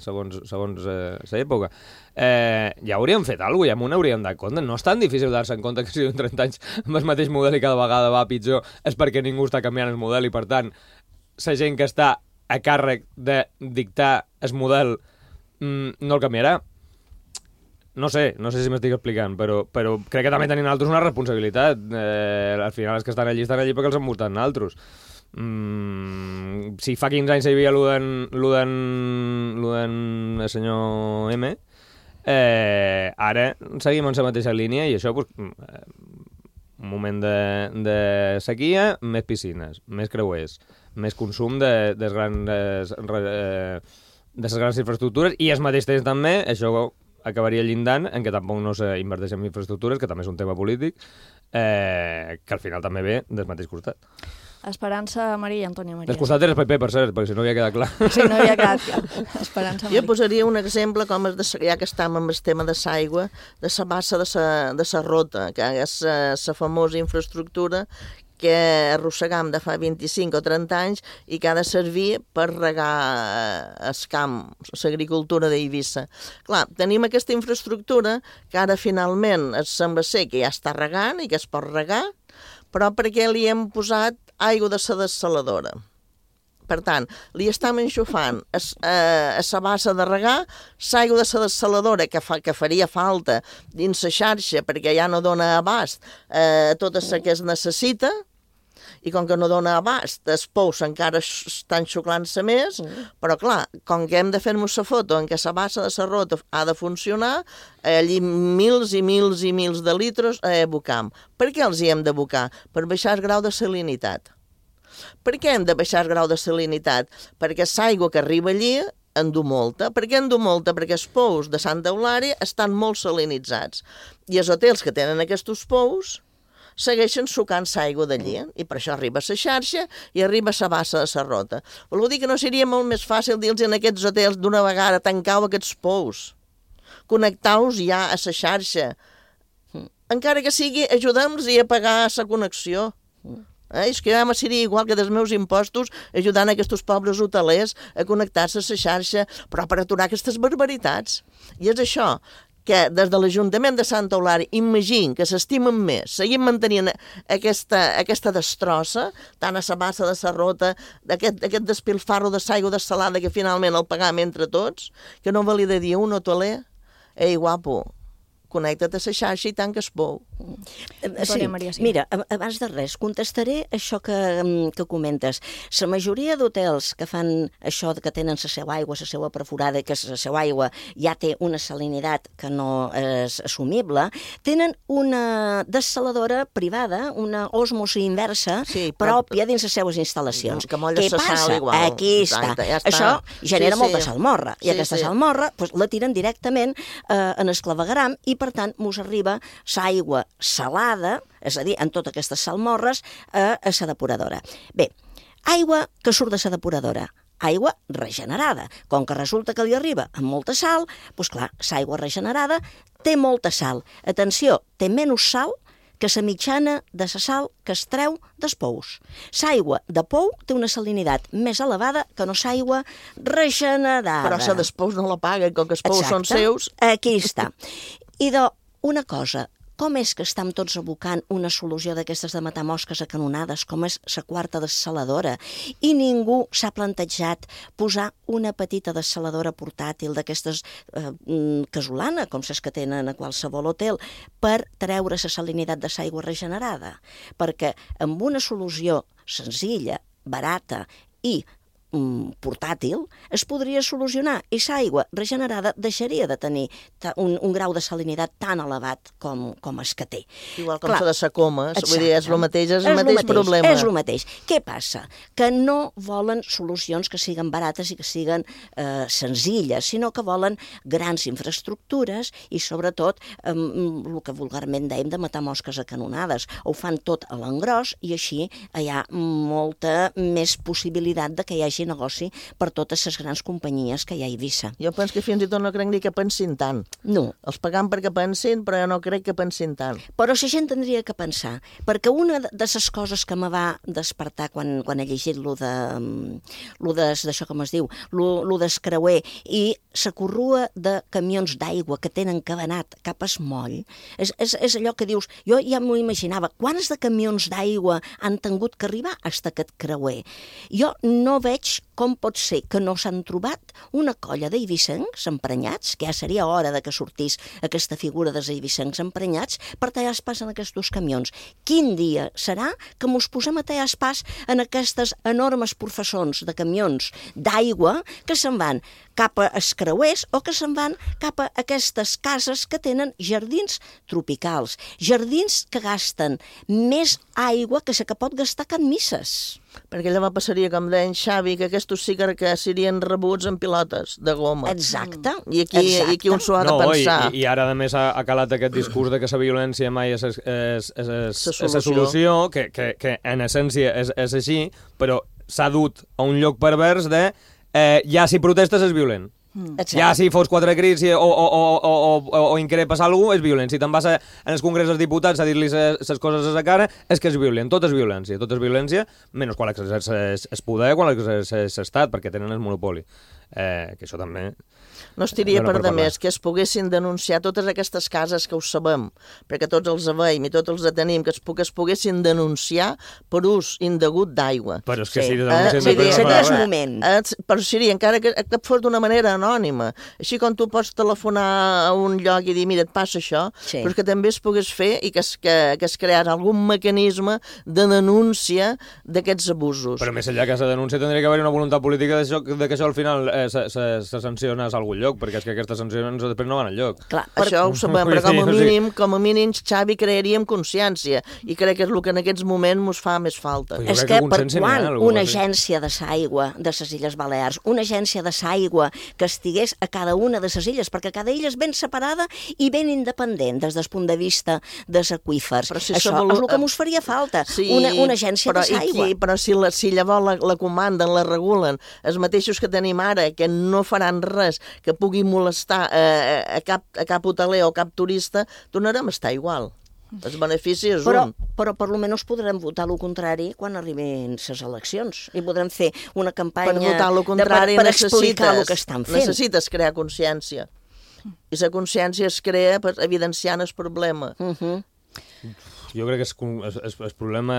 segons l'època. Ja hauríem fet alguna cosa, ja m'ho hauríem dat compte. No és tan difícil dar-se en compte que si en 30 anys amb el mateix model i cada vegada va pitjor, és perquè ningú està canviant el model i, per tant, la gent que està a càrrec de dictar el model no el canviarà. No sé si m'estic explicant, però crec que també tenim altres una responsabilitat. Al final els que estan allí perquè els han votat altres. Si fa 15 anys hi havia lo del senyor M, ara seguim en la mateixa línia i això, un moment de sequia, més piscines, més creuers, més consum de les grans infraestructures, i al mateix temps també això acabaria llindant en què tampoc no s'inverteix en infraestructures, que també és un tema polític, que al final també ve del mateix costat. Esperança Maria i Antònia Maria. Del costat del PP, per cert, perquè si no havia quedat clar. Sí, no havia quedat clar. Esperança Maria. Jo posaria un exemple, com ja que estem amb el tema de l'aigua, de la bassa de la Rota, que és la famosa infraestructura que arrossegam de fa 25 o 30 anys i que ha de servir per regar el camp, l'agricultura d'Eivissa. Clar, tenim aquesta infraestructura que ara finalment sembla ser que ja està regant i que es pot regar, però perquè li hem posat aigua de la dessaladora. Per tant, li estem enxufant a la bassa de regar l'aigua de la dessaladora que faria falta dins la xarxa perquè ja no dona abast a tot el que es necessita, i com que no dona abast, els pous encara estan xuclant-se més, però clar, com que hem de fer-nos la foto en què la bassa de la Rota ha de funcionar, allí mils i mils i mils de litres a abocar. Per què els hi hem d'abocar? Per baixar el grau de salinitat. Per què hem de baixar el grau de salinitat? Perquè l'aigua que arriba allí en du molta. Per què en du molta? Perquè els pous de Santa Eulària estan molt salinitzats. I els hotels que tenen aquests pous segueixen sucant l'aigua d'allí, i per això arriba a la xarxa i arriba a la bassa de la Rota. Vol dir que no seria molt més fàcil dir-los en aquests hotels d'una vegada tancau aquests pous, connectau-los ja a la xarxa, encara que sigui ajudem-los a pagar la connexió. És que ja me seria igual que dels meus impostos ajudant aquests pobres hotelers a connectar-se a la xarxa, però per aturar aquestes barbaritats. I és això, que des de l'Ajuntament de Santa Eulària imagin que s'estimen més, seguim mantenint aquesta destrossa, tant a la bassa de la Rota, aquest despilfarro de l'aigua dessalada que finalment el pagam entre tots, que no valia de dir un hoteler, ei guapo, connecta't a la xarxa i tanca el pou. Sí, mira, abans de res, contestaré això que comentes. La majoria d'hotels que fan això que tenen la seva aigua, la seva perforada, que la seva aigua ja té una salinitat que no és assumible, tenen una dessaladora privada, una osmosi inversa pròpia dins les seues instal·lacions. Què passa? Aquí està. Això genera molta salmorra, i aquesta salmorra la tiren directament en el clavegueram i, per tant, mos arriba l'aigua salada, és a dir, en totes aquestes salmorres, a la depuradora. Bé, aigua que surt de la depuradora, aigua regenerada. Com que resulta que li arriba amb molta sal, doncs clar, l'aigua regenerada té molta sal. Atenció, té menys sal que la mitjana de la sal que es treu dels pous. L'aigua de pou té una salinitat més elevada que no l'aigua regenerada. Però la dels pous no la paguen, com que els pous són seus. Aquí està. I una cosa, com és que estem tots abocant una solució d'aquestes de matar mosques a canonades, com és la quarta dessaladora, i ningú s'ha plantejat posar una petita dessaladora portàtil d'aquestes casolana, com les que tenen a qualsevol hotel, per treure la salinitat de l'aigua regenerada? Perquè amb una solució senzilla, barata i portàtil, es podria solucionar i l'aigua regenerada deixaria de tenir un grau de salinitat tan elevat com es que té. Igual com la de Sacomes, vull dir, és el mateix, és el mateix problema. És el mateix. Què passa? Que no volen solucions que siguin barates i que siguin senzilles, sinó que volen grans infraestructures i sobretot el que vulgarment dèiem de matar mosques a canonades. Ho fan tot a l'engròs i així hi ha molta més possibilitat de que hi hagi negoci per totes les grans companyies que hi ha a Eivissa. Jo penso que fins i tot no crec ni que pensin tant. No. Els pagam perquè pensin, però jo no crec que pensin tant. Però la gent tindria que pensar, perquè una de les coses que me va despertar quan he llegit d'això com es diu, lo d'escreuer i la corrua de camions d'aigua que tenen cabanat cap a Esmoll, és allò que dius, jo ja m'ho imaginava, quants de camions d'aigua han tingut que arribar fins a aquest creuer? Jo no veig com pot ser que no s'han trobat una colla d'eivissencs emprenyats, que ja seria hora de que sortís aquesta figura dels eivissencs emprenyats, per tallar pas en aquests dos camions. Quin dia serà que mos posem a tallar pas en aquestes enormes professons de camions d'aigua que se'n van cap a escreuers o que se'n van cap a aquestes cases que tenen jardins tropicals, jardins que gasten més aigua que la que pot gastar Can Misses. Perquè llavors passaria, com deia en Xavi, que aquests sí que serien rebuts en pilotes de goma. Exacte. I aquí un s'ho ha de pensar. I ara, a més, ha calat aquest discurs de que la violència mai és la solució, que en essència és així, però s'ha dut a un lloc pervers de ja si protestes és violent. Ja si fos quatre crits o increpes algú és violent. Si te'n vas en els congrés dels diputats a dir-li les coses a la cara és que és violent. Tot és violència, menys quan l'exerceix es poder, quan l'exerceix l'estat, perquè tenen el monopoli. Que això també... No estiria per demés que es poguessin denunciar totes aquestes cases que ho sabem, perquè tots els veiem i tots els tenim, que es poguessin denunciar per ús indegut d'aigua. Però és que si denuncien... Seria el moment. Però seria, encara que fos d'una manera anònima. Així com tu pots telefonar a un lloc i dir, mira, et passa això, però que també es pogués fer i que es creés algun mecanisme de denúncia d'aquests abusos. Però més enllà que la denúncia tindria que haver una voluntat política de que això al final se sanciona a algun lloc, perquè és que aquestes sancions després no van enlloc. Clar, això ho sabem, però com a mínim, Xavi, crearíem consciència, i crec que és el que en aquests moments ens fa més falta. És que per quan una agència de l'aigua de les Illes Balears, una agència de l'aigua que estigués a cada una de les illes, perquè cada illa és ben separada i ben independent des del punt de vista dels aqüífers. Això és el que ens faria falta, una agència de l'aigua. Però si llavors la comanden, la regulen, els mateixos que tenim ara, que no faran res que pugui molestar a cap hoteler o cap turista, tornarem a estar igual. El benefici és un. Però per almenys podrem votar el contrari quan arribin les eleccions i podrem fer una campanya per votar el contrari per explicar el que estan fent. Necessites crear consciència. I la consciència es crea evidenciant el problema. Jo crec que el problema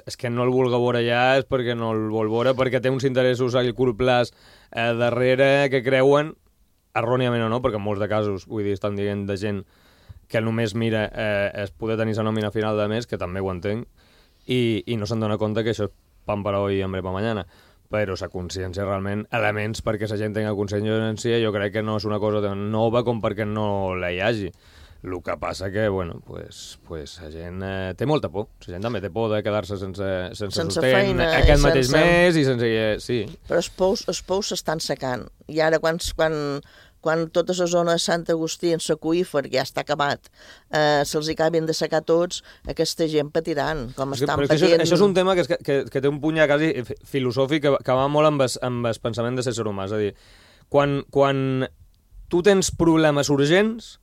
és que no el vulgui veure ja, és perquè no el vol veure, perquè té uns interessos a curt plaç darrere que creuen, erròniament o no, perquè en molts de casos, vull dir, estan dient de gent que només mira es poder tenir la nòmina final de mes, que també ho entenc, i no se'n dona compte que això és pan per hoy i hambre per mañana. Però la consciència realment, elements perquè la gent tingui consciència, jo crec que no és una cosa nova com perquè no la hi hagi. El que passa que, bueno, pues la gent té molta por. La gent també té por de quedar-se sense sostén aquest mateix mes i sense... Sí. Però els pous s'estan secant. I ara quan quan tota la zona de Sant Agustí, en l'aqüífer, ja està acabat, se'ls acabin de secar tots, aquesta gent patiran, com estan patint. Això és un tema que té un punt ja quasi filosòfic que va molt amb el pensament de l'ésser humà. És a dir, quan tu tens problemes urgents,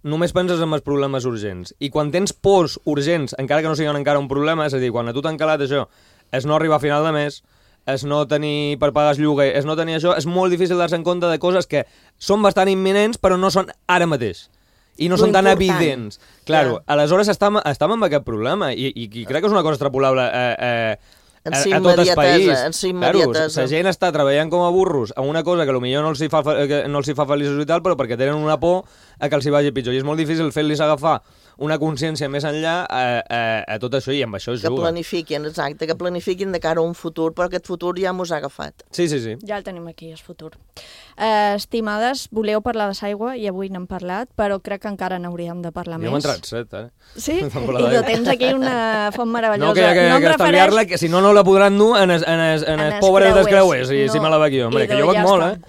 només penses en els problemes urgents. I quan tens pors urgents, encara que no siguin encara un problema, és a dir, quan a tu t'han calat això, és no arribar a final de mes, és no tenir per pagar el lloguer, és no tenir això, és molt difícil dar-se en compte de coses que són bastant imminents però no són ara mateix. I no són tan evidents. Claro, aleshores estem amb aquest problema i crec que és una cosa extrapolable a tot el país. Claro, la gent està treballant com a burros a una cosa que potser no els hi fa feliços i tal, però perquè tenen una por a que els hi vagi pitjor. I és molt difícil fer-los agafar una consciència més enllà a tot això, i amb això es juga. Que planifiquin, exacte, que planifiquin de cara a un futur, però aquest futur ja mos ha agafat. Sí. Ja el tenim aquí, el futur. Estimades, voleu parlar de l'aigua i avui n'hem parlat, però crec que encara n'hauríem de parlar més. Jo m'he entrat set, Sí? I tu tens aquí una font meravellosa. No, que estalviar-la, que si no la podran dur en els pobres dels creuers, si me la bec jo. Hombre, que jo bec molt,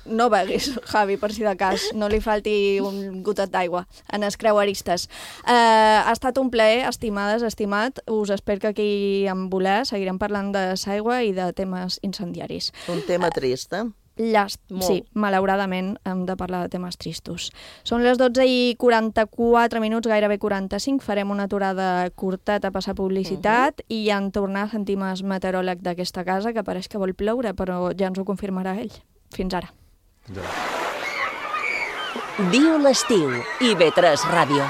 no beguis, Javi, per si de cas. No li falti un gotet d'aigua en els creueristes. Ha estat un plaer, estimades, estimat. Us espero que aquí en voler seguirem parlant de l'aigua i de temes incendiaris. Un tema trist, Sí, malauradament hem de parlar de temes tristos. Són les 12:44 minuts, gairebé 45. Farem una aturada curteta a passar publicitat i en tornar sentim el meteoròleg d'aquesta casa, que pareix que vol ploure, però ja ens ho confirmarà ell. Fins ara. Viu l'estiu, IB3 Ràdio.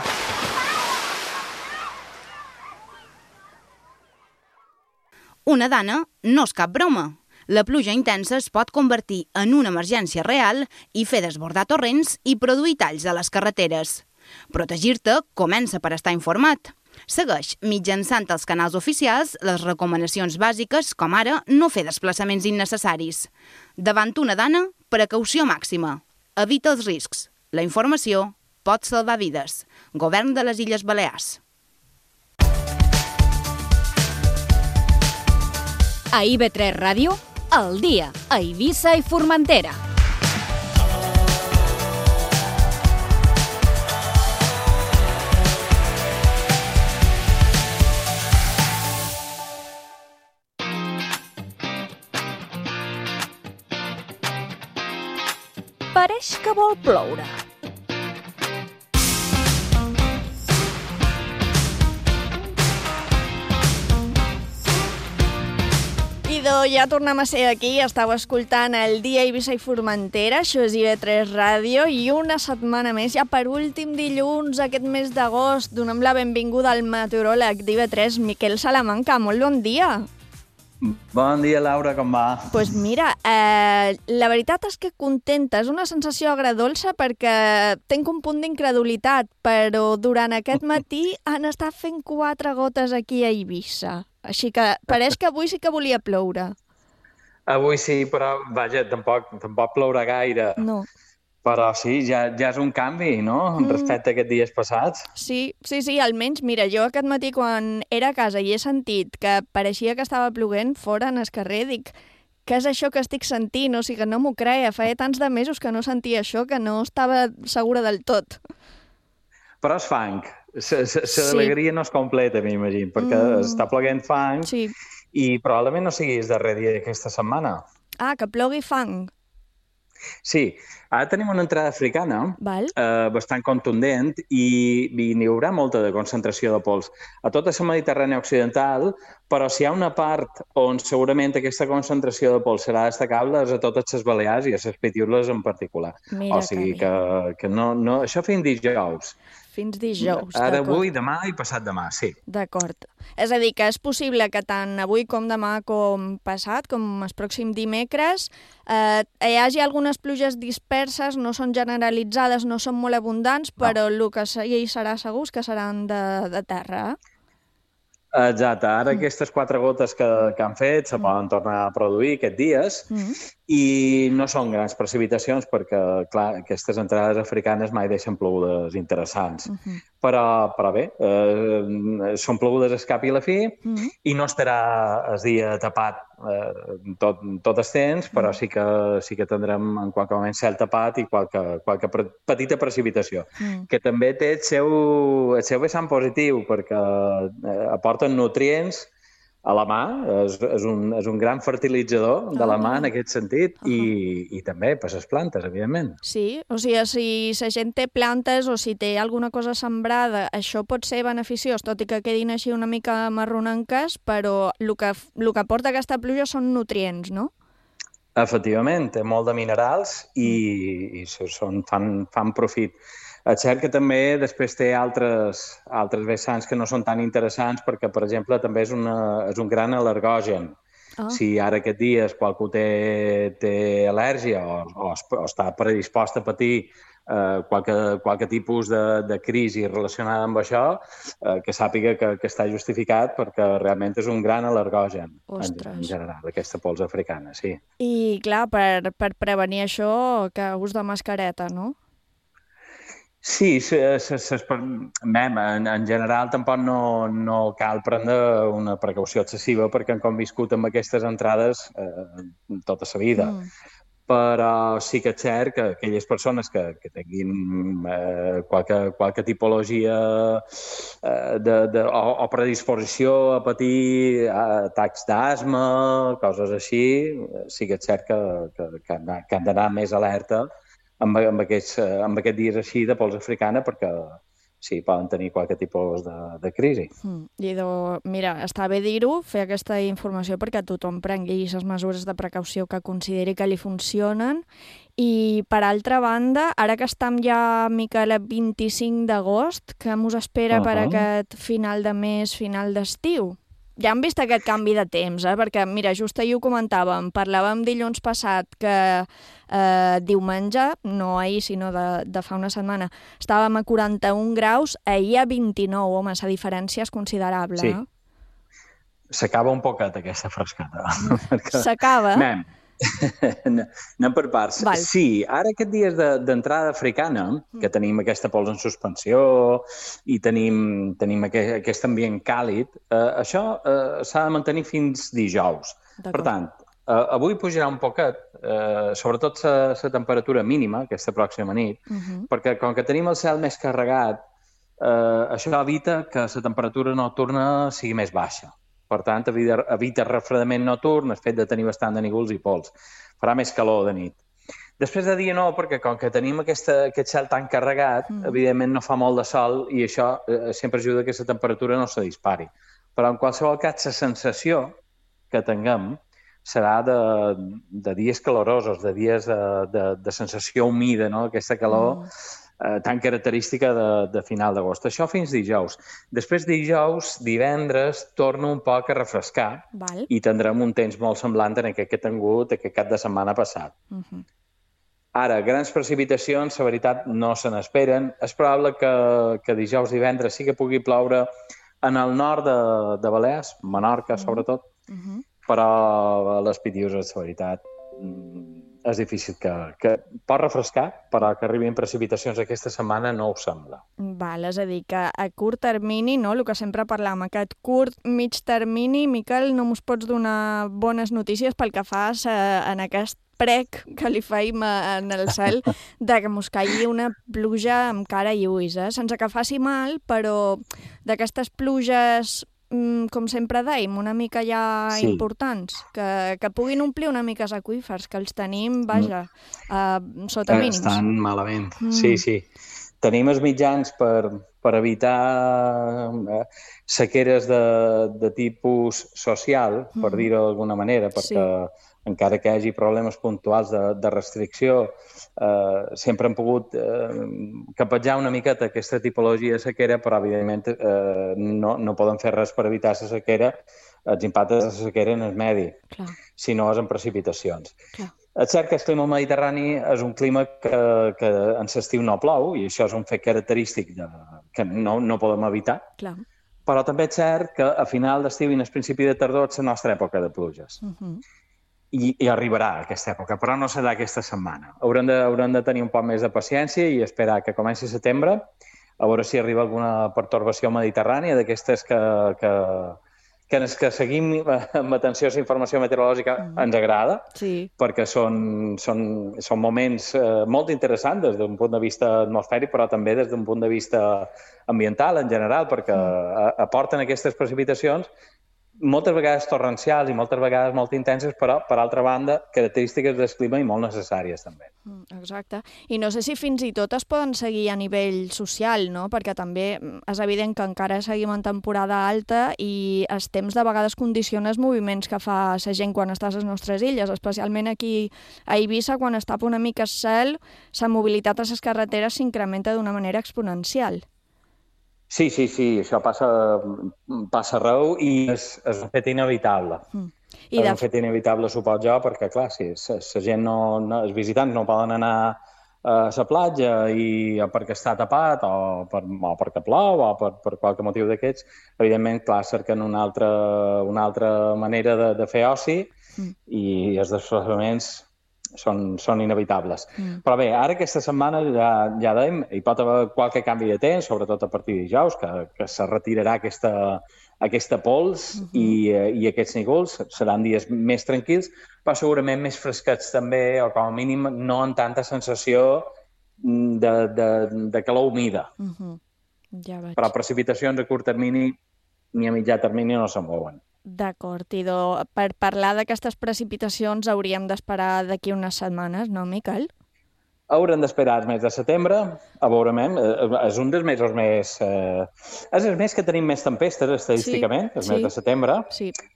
Una dana no és cap broma. La pluja intensa es pot convertir en una emergència real i fer desbordar torrents i produir talls a les carreteres. Protegir-te comença per estar informat. Segueix, mitjançant els canals oficials, les recomanacions bàsiques, com ara no fer desplaçaments innecessaris. Davant una dana, precaució màxima. Evita els riscs. La informació pot salvar vides. Govern de les Illes Balears. A IB3 Ràdio, al dia, a Eivissa i Formentera. Pareix que vol ploure. Ja tornem a ser aquí, estàu escoltant el Dia Eivissa i Formentera, això és IB3 Ràdio, i una setmana més, ja per últim dilluns aquest mes d'agost, donem la benvinguda al meteoròleg d'IB3, Miquel Salamanca. Molt bon dia. Bon dia, Laura, com va? Doncs mira, la veritat és que contenta, és una sensació agradolça perquè tinc un punt d'incredulitat, però durant aquest matí han estat fent 4 gotes aquí a Eivissa. Així que pareix que avui sí que volia ploure. Avui sí, però vaja, tampoc plourà gaire. No. Però sí, ja és un canvi, no?, respecte a aquests dies passats. Sí, almenys, mira, jo aquest matí quan era a casa i he sentit que pareixia que estava ploguent fora en el carrer, dic, què és això que estic sentint? O sigui, no m'ho creia, feia tants de mesos que no sentia això que no estava segura del tot. Però és fang. L'alegria no és completa, m'imagino, perquè està ploguent fang i probablement no siguis darrer dia d'aquesta setmana. Ah, que plogui fang. Sí, ara tenim una entrada africana bastant contundent i n'hi haurà molta de concentració de pols a tota la Mediterrània occidental, però si hi ha una part on segurament aquesta concentració de pols serà destacable és a totes les Balears i a les Pitiules en particular. O sigui que no, això fins dijous. Fins dijous, Ara, avui, demà i passat demà, sí. D'acord. És a dir, que és possible que tant avui com demà com passat, com el pròxim dimecres, hi hagi algunes pluges disperses, no són generalitzades, no són molt abundants, però el que hi serà segur que seran de terra. Exacte. Ara aquestes 4 gotes que han fet se poden tornar a produir aquests dies i no són grans precipitacions perquè, clar, aquestes entrades africanes mai deixen plogudes interessants. Però bé, són plogudes a cap i a la fi i no estarà el dia tapat tot el temps, però sí que tindrem en qualque moment cel tapat i qualque petita precipitació, que també té el seu vessant positiu perquè aporten nutrients a la mà, és un gran fertilitzador de la mà en aquest sentit i també per les plantes, evidentment. Sí, o sigui, si la gent té plantes o si té alguna cosa sembrada, això pot ser beneficiós, tot i que quedin així una mica marronenques, però el que aporta aquesta pluja són nutrients, no? Efectivament, té molt de minerals i fan profit. És cert que també després té altres vessants que no són tan interessants perquè, per exemple, també és un gran al·lergogen. Si ara aquests dies qualcú té al·lèrgia o està predispost a patir qualque tipus de crisi relacionada amb això, que sàpiga que està justificat perquè realment és un gran al·lergogen en general, aquesta pols africana, sí. I, clar, per prevenir això, que ús de mascareta, no? Sí, en general tampoc no cal prendre una precaució excessiva perquè han conviscut amb aquestes entrades tota la vida. Però sí que és cert que aquelles persones que tinguin qualque tipologia o predisposició a patir atacs d'asma, coses així, sí que és cert que han d'anar més alerta amb aquests dies així de pols africana perquè sí, poden tenir qualque tipus de crisi. Mira, està bé dir-ho, fer aquesta informació perquè tothom prengui les mesures de precaució que consideri que li funcionen. I, per altra banda, ara que estem ja, Miquel, el 25 d'agost, què mos espera per aquest final de mes, final d'estiu? Ja hem vist aquest canvi de temps, perquè, mira, just ahir ho comentàvem, parlàvem dilluns passat que diumenge, no ahir, sinó de fa una setmana, estàvem a 41 graus, ahir a 29, home, la diferència és considerable. Sí. S'acaba un poquet aquesta frescada. S'acaba? Anem per parts. Val. Sí, ara aquests dies d'entrada africana, que tenim aquesta pols en suspensió i tenim aquest ambient càlid, això s'ha de mantenir fins dijous. Per tant, avui pujarà un poquet, sobretot la temperatura mínima, aquesta pròxima nit, perquè com que tenim el cel més carregat, això evita que la temperatura nocturna sigui més baixa. Per tant, evita refredament nocturn, el fet de tenir bastant de nígols i pols. Farà més calor de nit. Després de dia no, perquè com que tenim aquest cel tan carregat, evidentment no fa molt de sol i això sempre ajuda que la temperatura no se dispari. Però en qualsevol cas, la sensació que tinguem serà de dies calorosos, de dies de sensació humida, no? Aquesta calor tan característica de final d'agost. Això fins dijous. Després dijous, divendres, torna un poc a refrescar i tindrem un temps molt semblant en aquest que he tingut aquest cap de setmana passat. Ara, grans precipitacions, la veritat, no se n'esperen. És probable que dijous, divendres sí que pugui ploure en el nord de Balears, Menorca sobretot, però a les Pitiuses, la veritat, és difícil que pot refrescar, però que arribin precipitacions aquesta setmana no ho sembla. Val, és a dir, que a curt termini, no, el que sempre parlàvem, aquest curt, mig termini, Miquel, no mos pots donar bones notícies pel que fas en aquest prec que li feim en el cel de que mos caigui una pluja amb cara i ulls, sense que faci mal, però d'aquestes pluges com sempre dèiem, una mica ja importants, que puguin omplir una mica els aqüífers, que els tenim, vaja, sota mínims. Estan malament, sí. Tenim els mitjans per evitar sequeres de tipus social, per dir-ho d'alguna manera, perquè encara que hi hagi problemes puntuals de restricció, sempre han pogut capatjar una miqueta aquesta tipologia de sequera, però evidentment no poden fer res per evitar la sequera, els impactes de la sequera en el medi, si no és en precipitacions. És cert que el clima mediterrani és un clima que en l'estiu no plou, i això és un fet característic que no podem evitar, però també és cert que a final d'estiu i en el principi de tardor és la nostra època de pluges. i arribarà aquesta època, però no serà aquesta setmana. Haurem de tenir un poc més de paciència i esperar que comenci setembre, a veure si arriba alguna pertorbació mediterrània d'aquestes que seguim amb atenció a la informació meteorològica ens agrada, perquè són moments molt interessants des d'un punt de vista atmosfèric, però també des d'un punt de vista ambiental en general, perquè aporten aquestes precipitacions moltes vegades torrencials i moltes vegades molt intenses, però, per altra banda, característiques del clima i molt necessàries, també. Exacte. I no sé si fins i tot es poden seguir a nivell social, no? Perquè també és evident que encara seguim en temporada alta i els temps de vegades condiciona els moviments que fa la gent quan està a les nostres illes, especialment aquí a Eivissa, quan es tapa una mica el cel, la mobilitat a les carreteres s'incrementa d'una manera exponencial. Sí, això passa arreu i és un fet inevitable. És un fet inevitable, suposo jo, perquè, clar, si la gent els visitants no poden anar a la platja o perquè està tapat o perquè plou o per qualque motiu d'aquests, evidentment, clar, cerquen una altra manera de fer oci i els desplaçaments són inevitables. Però bé, ara aquesta setmana ja dèiem, hi pot haver qualque canvi de temps, sobretot a partir de dijous, que se retirarà aquesta pols i aquests núvols. Seran dies més tranquils, però segurament més fresquets també, o com a mínim no amb tanta sensació de calor humida. Però precipitacions a curt termini ni a mitjà termini no se'n mouen. D'acord, i per parlar d'aquestes precipitacions hauríem d'esperar d'aquí unes setmanes, no, Miquel? Haurem d'esperar el mes de setembre, a veurem, és un dels mesos més... És el mes que tenim més tempestes, estadísticament, el mes de setembre.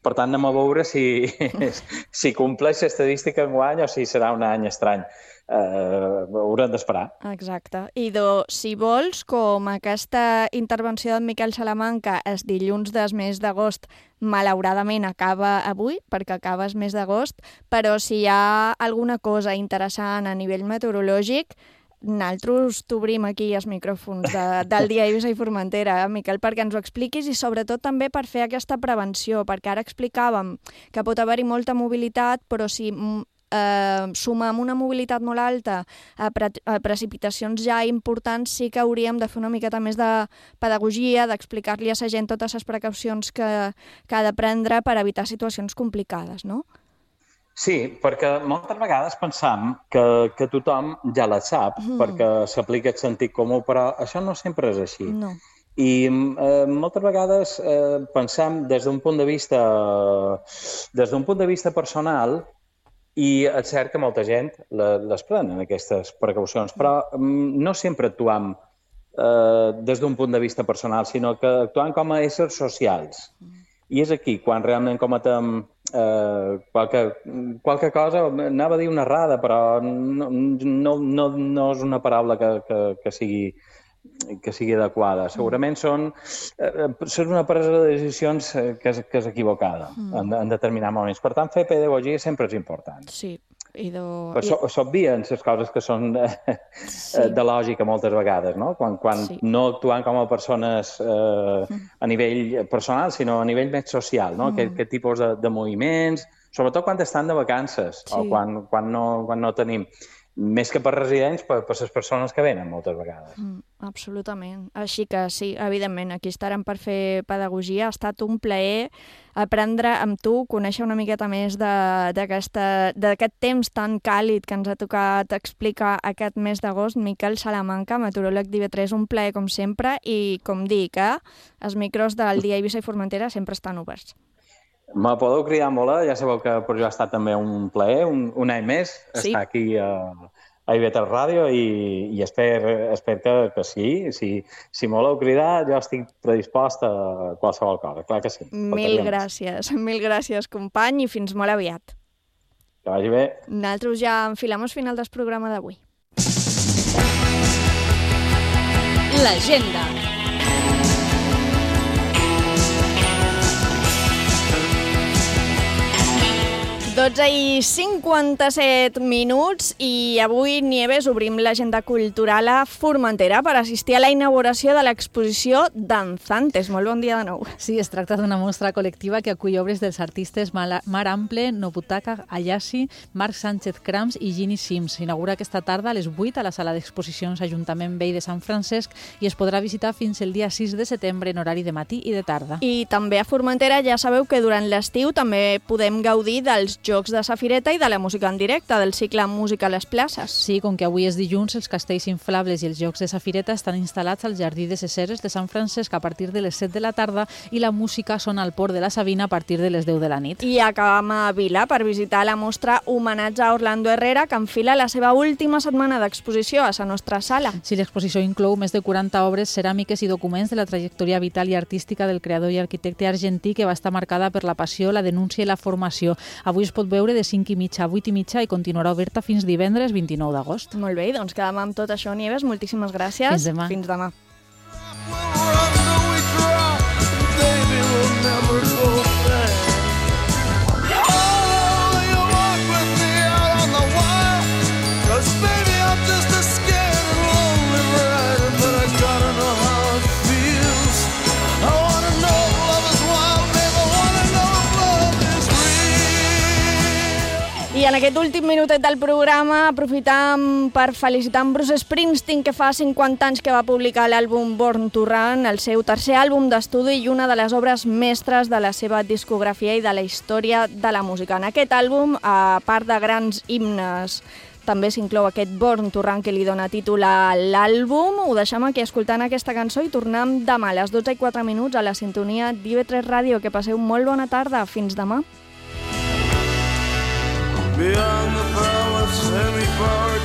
Per tant, anem a veure si compleix l'estadística enguany o si serà un any estrany. Haurem d'esperar. Exacte. I si vols, com aquesta intervenció d'en Miquel Salamanca el dilluns del mes d'agost malauradament acaba avui, perquè acaba el mes d'agost, però si hi ha alguna cosa interessant a nivell meteorològic, nosaltres t'obrim aquí els micròfons del dia Eivissa i Formentera, Miquel, perquè ens ho expliquis i sobretot també per fer aquesta prevenció, perquè ara explicàvem que pot haver-hi molta mobilitat, però si sumem una mobilitat molt alta a precipitacions ja importants, sí que hauríem de fer una miqueta més de pedagogia, d'explicar-li a la gent totes les precaucions que ha de prendre per evitar situacions complicades, no? Sí, perquè moltes vegades pensam que tothom ja la sap, perquè s'aplica el sentit comú, però això no sempre és així. No. I moltes vegades pensam des d'un punt de vista personal, i és cert que molta gent les prenen, aquestes precaucions, però no sempre actuam des d'un punt de vista personal, sinó que actuam com a éssers socials. I és aquí quan realment cometem qualque cosa, anava a dir una errada, però no és una paraula que sigui adequada. Segurament són una presa de decisions que és equivocada en determinats moments. Per tant, fer pedagogia sempre és important. Sí. S'obvien les coses que són de lògica moltes vegades, no? Quan no actuem com a persones a nivell personal, sinó a nivell més social, no? Aquest tipus de moviments, sobretot quan estan de vacances o quan no tenim. Més que per residents, per les persones que venen moltes vegades. Absolutament. Així que sí, evidentment, aquí estarem per fer pedagogia. Ha estat un plaer aprendre amb tu, conèixer una miqueta més d'aquest temps tan càlid que ens ha tocat explicar aquest mes d'agost. Miquel Salamanca, meteoròleg d'IV3, un plaer com sempre, i com dic, els micros del dia Eivissa i Formentera sempre estan oberts. Me podeu cridar molt, ja sabeu que per jo ha estat també un plaer, un any més, estar aquí a IB3 Ràdio i espero que sí. Si me voleu cridar, jo estic predispost a qualsevol cosa, clar que sí. Mil gràcies, company, i fins molt aviat. Que vagi bé. Nosaltres ja enfilem el final del programa d'avui. L'agenda. 12:57 i avui, Nieves, obrim l'agenda cultural a Formentera per assistir a la inauguració de l'exposició Danzantes. Molt bon dia de nou. Sí, es tracta d'una mostra col·lectiva que acull obres dels artistes Mar Ample, Nobutaka Ayasi, Marc Sánchez Crams i Ginny Sims. S'inaugura aquesta tarda a les 8 a la sala d'exposicions Ajuntament Vell de Sant Francesc i es podrà visitar fins el dia 6 de setembre en horari de matí i de tarda. I també a Formentera ja sabeu que durant l'estiu també podem gaudir dels Jocs de Safireta i de la música en directe, del cicle Música a les places. Sí, com que avui és dilluns, els castells inflables i els Jocs de Safireta estan instal·lats al Jardí de Ceseres de Sant Francesc a partir de les 7 de la tarda i la música sona al Port de la Sabina a partir de les 10 de la nit. I acabam a Vila per visitar la mostra Homenatge a Orlando Herrera, que enfila la seva última setmana d'exposició a la nostra sala. Sí, l'exposició inclou més de 40 obres ceràmiques i documents de la trajectòria vital i artística del creador i arquitecte argentí, que va estar marcada per la passió, la denúncia i la formació. Avui es pot veure de 5:30 a 8:30 i continuarà oberta fins divendres 29 d'agost. Molt bé, doncs quedem amb tot això, Nieves. Moltíssimes gràcies. Fins demà. Fins demà. I en aquest últim minutet del programa aprofitam per felicitar en Bruce Springsteen, que fa 50 anys que va publicar l'àlbum Born to Run, el seu tercer àlbum d'estudi i una de les obres mestres de la seva discografia i de la història de la música. En aquest àlbum, a part de grans himnes, també s'inclou aquest Born to Run que li dona títol a l'àlbum. Ho deixem aquí escoltant aquesta cançó i tornem demà a les 12:04 a la sintonia d'IV3 Ràdio. Que passeu molt bona tarda. Fins demà. Beyond the power, semi-power,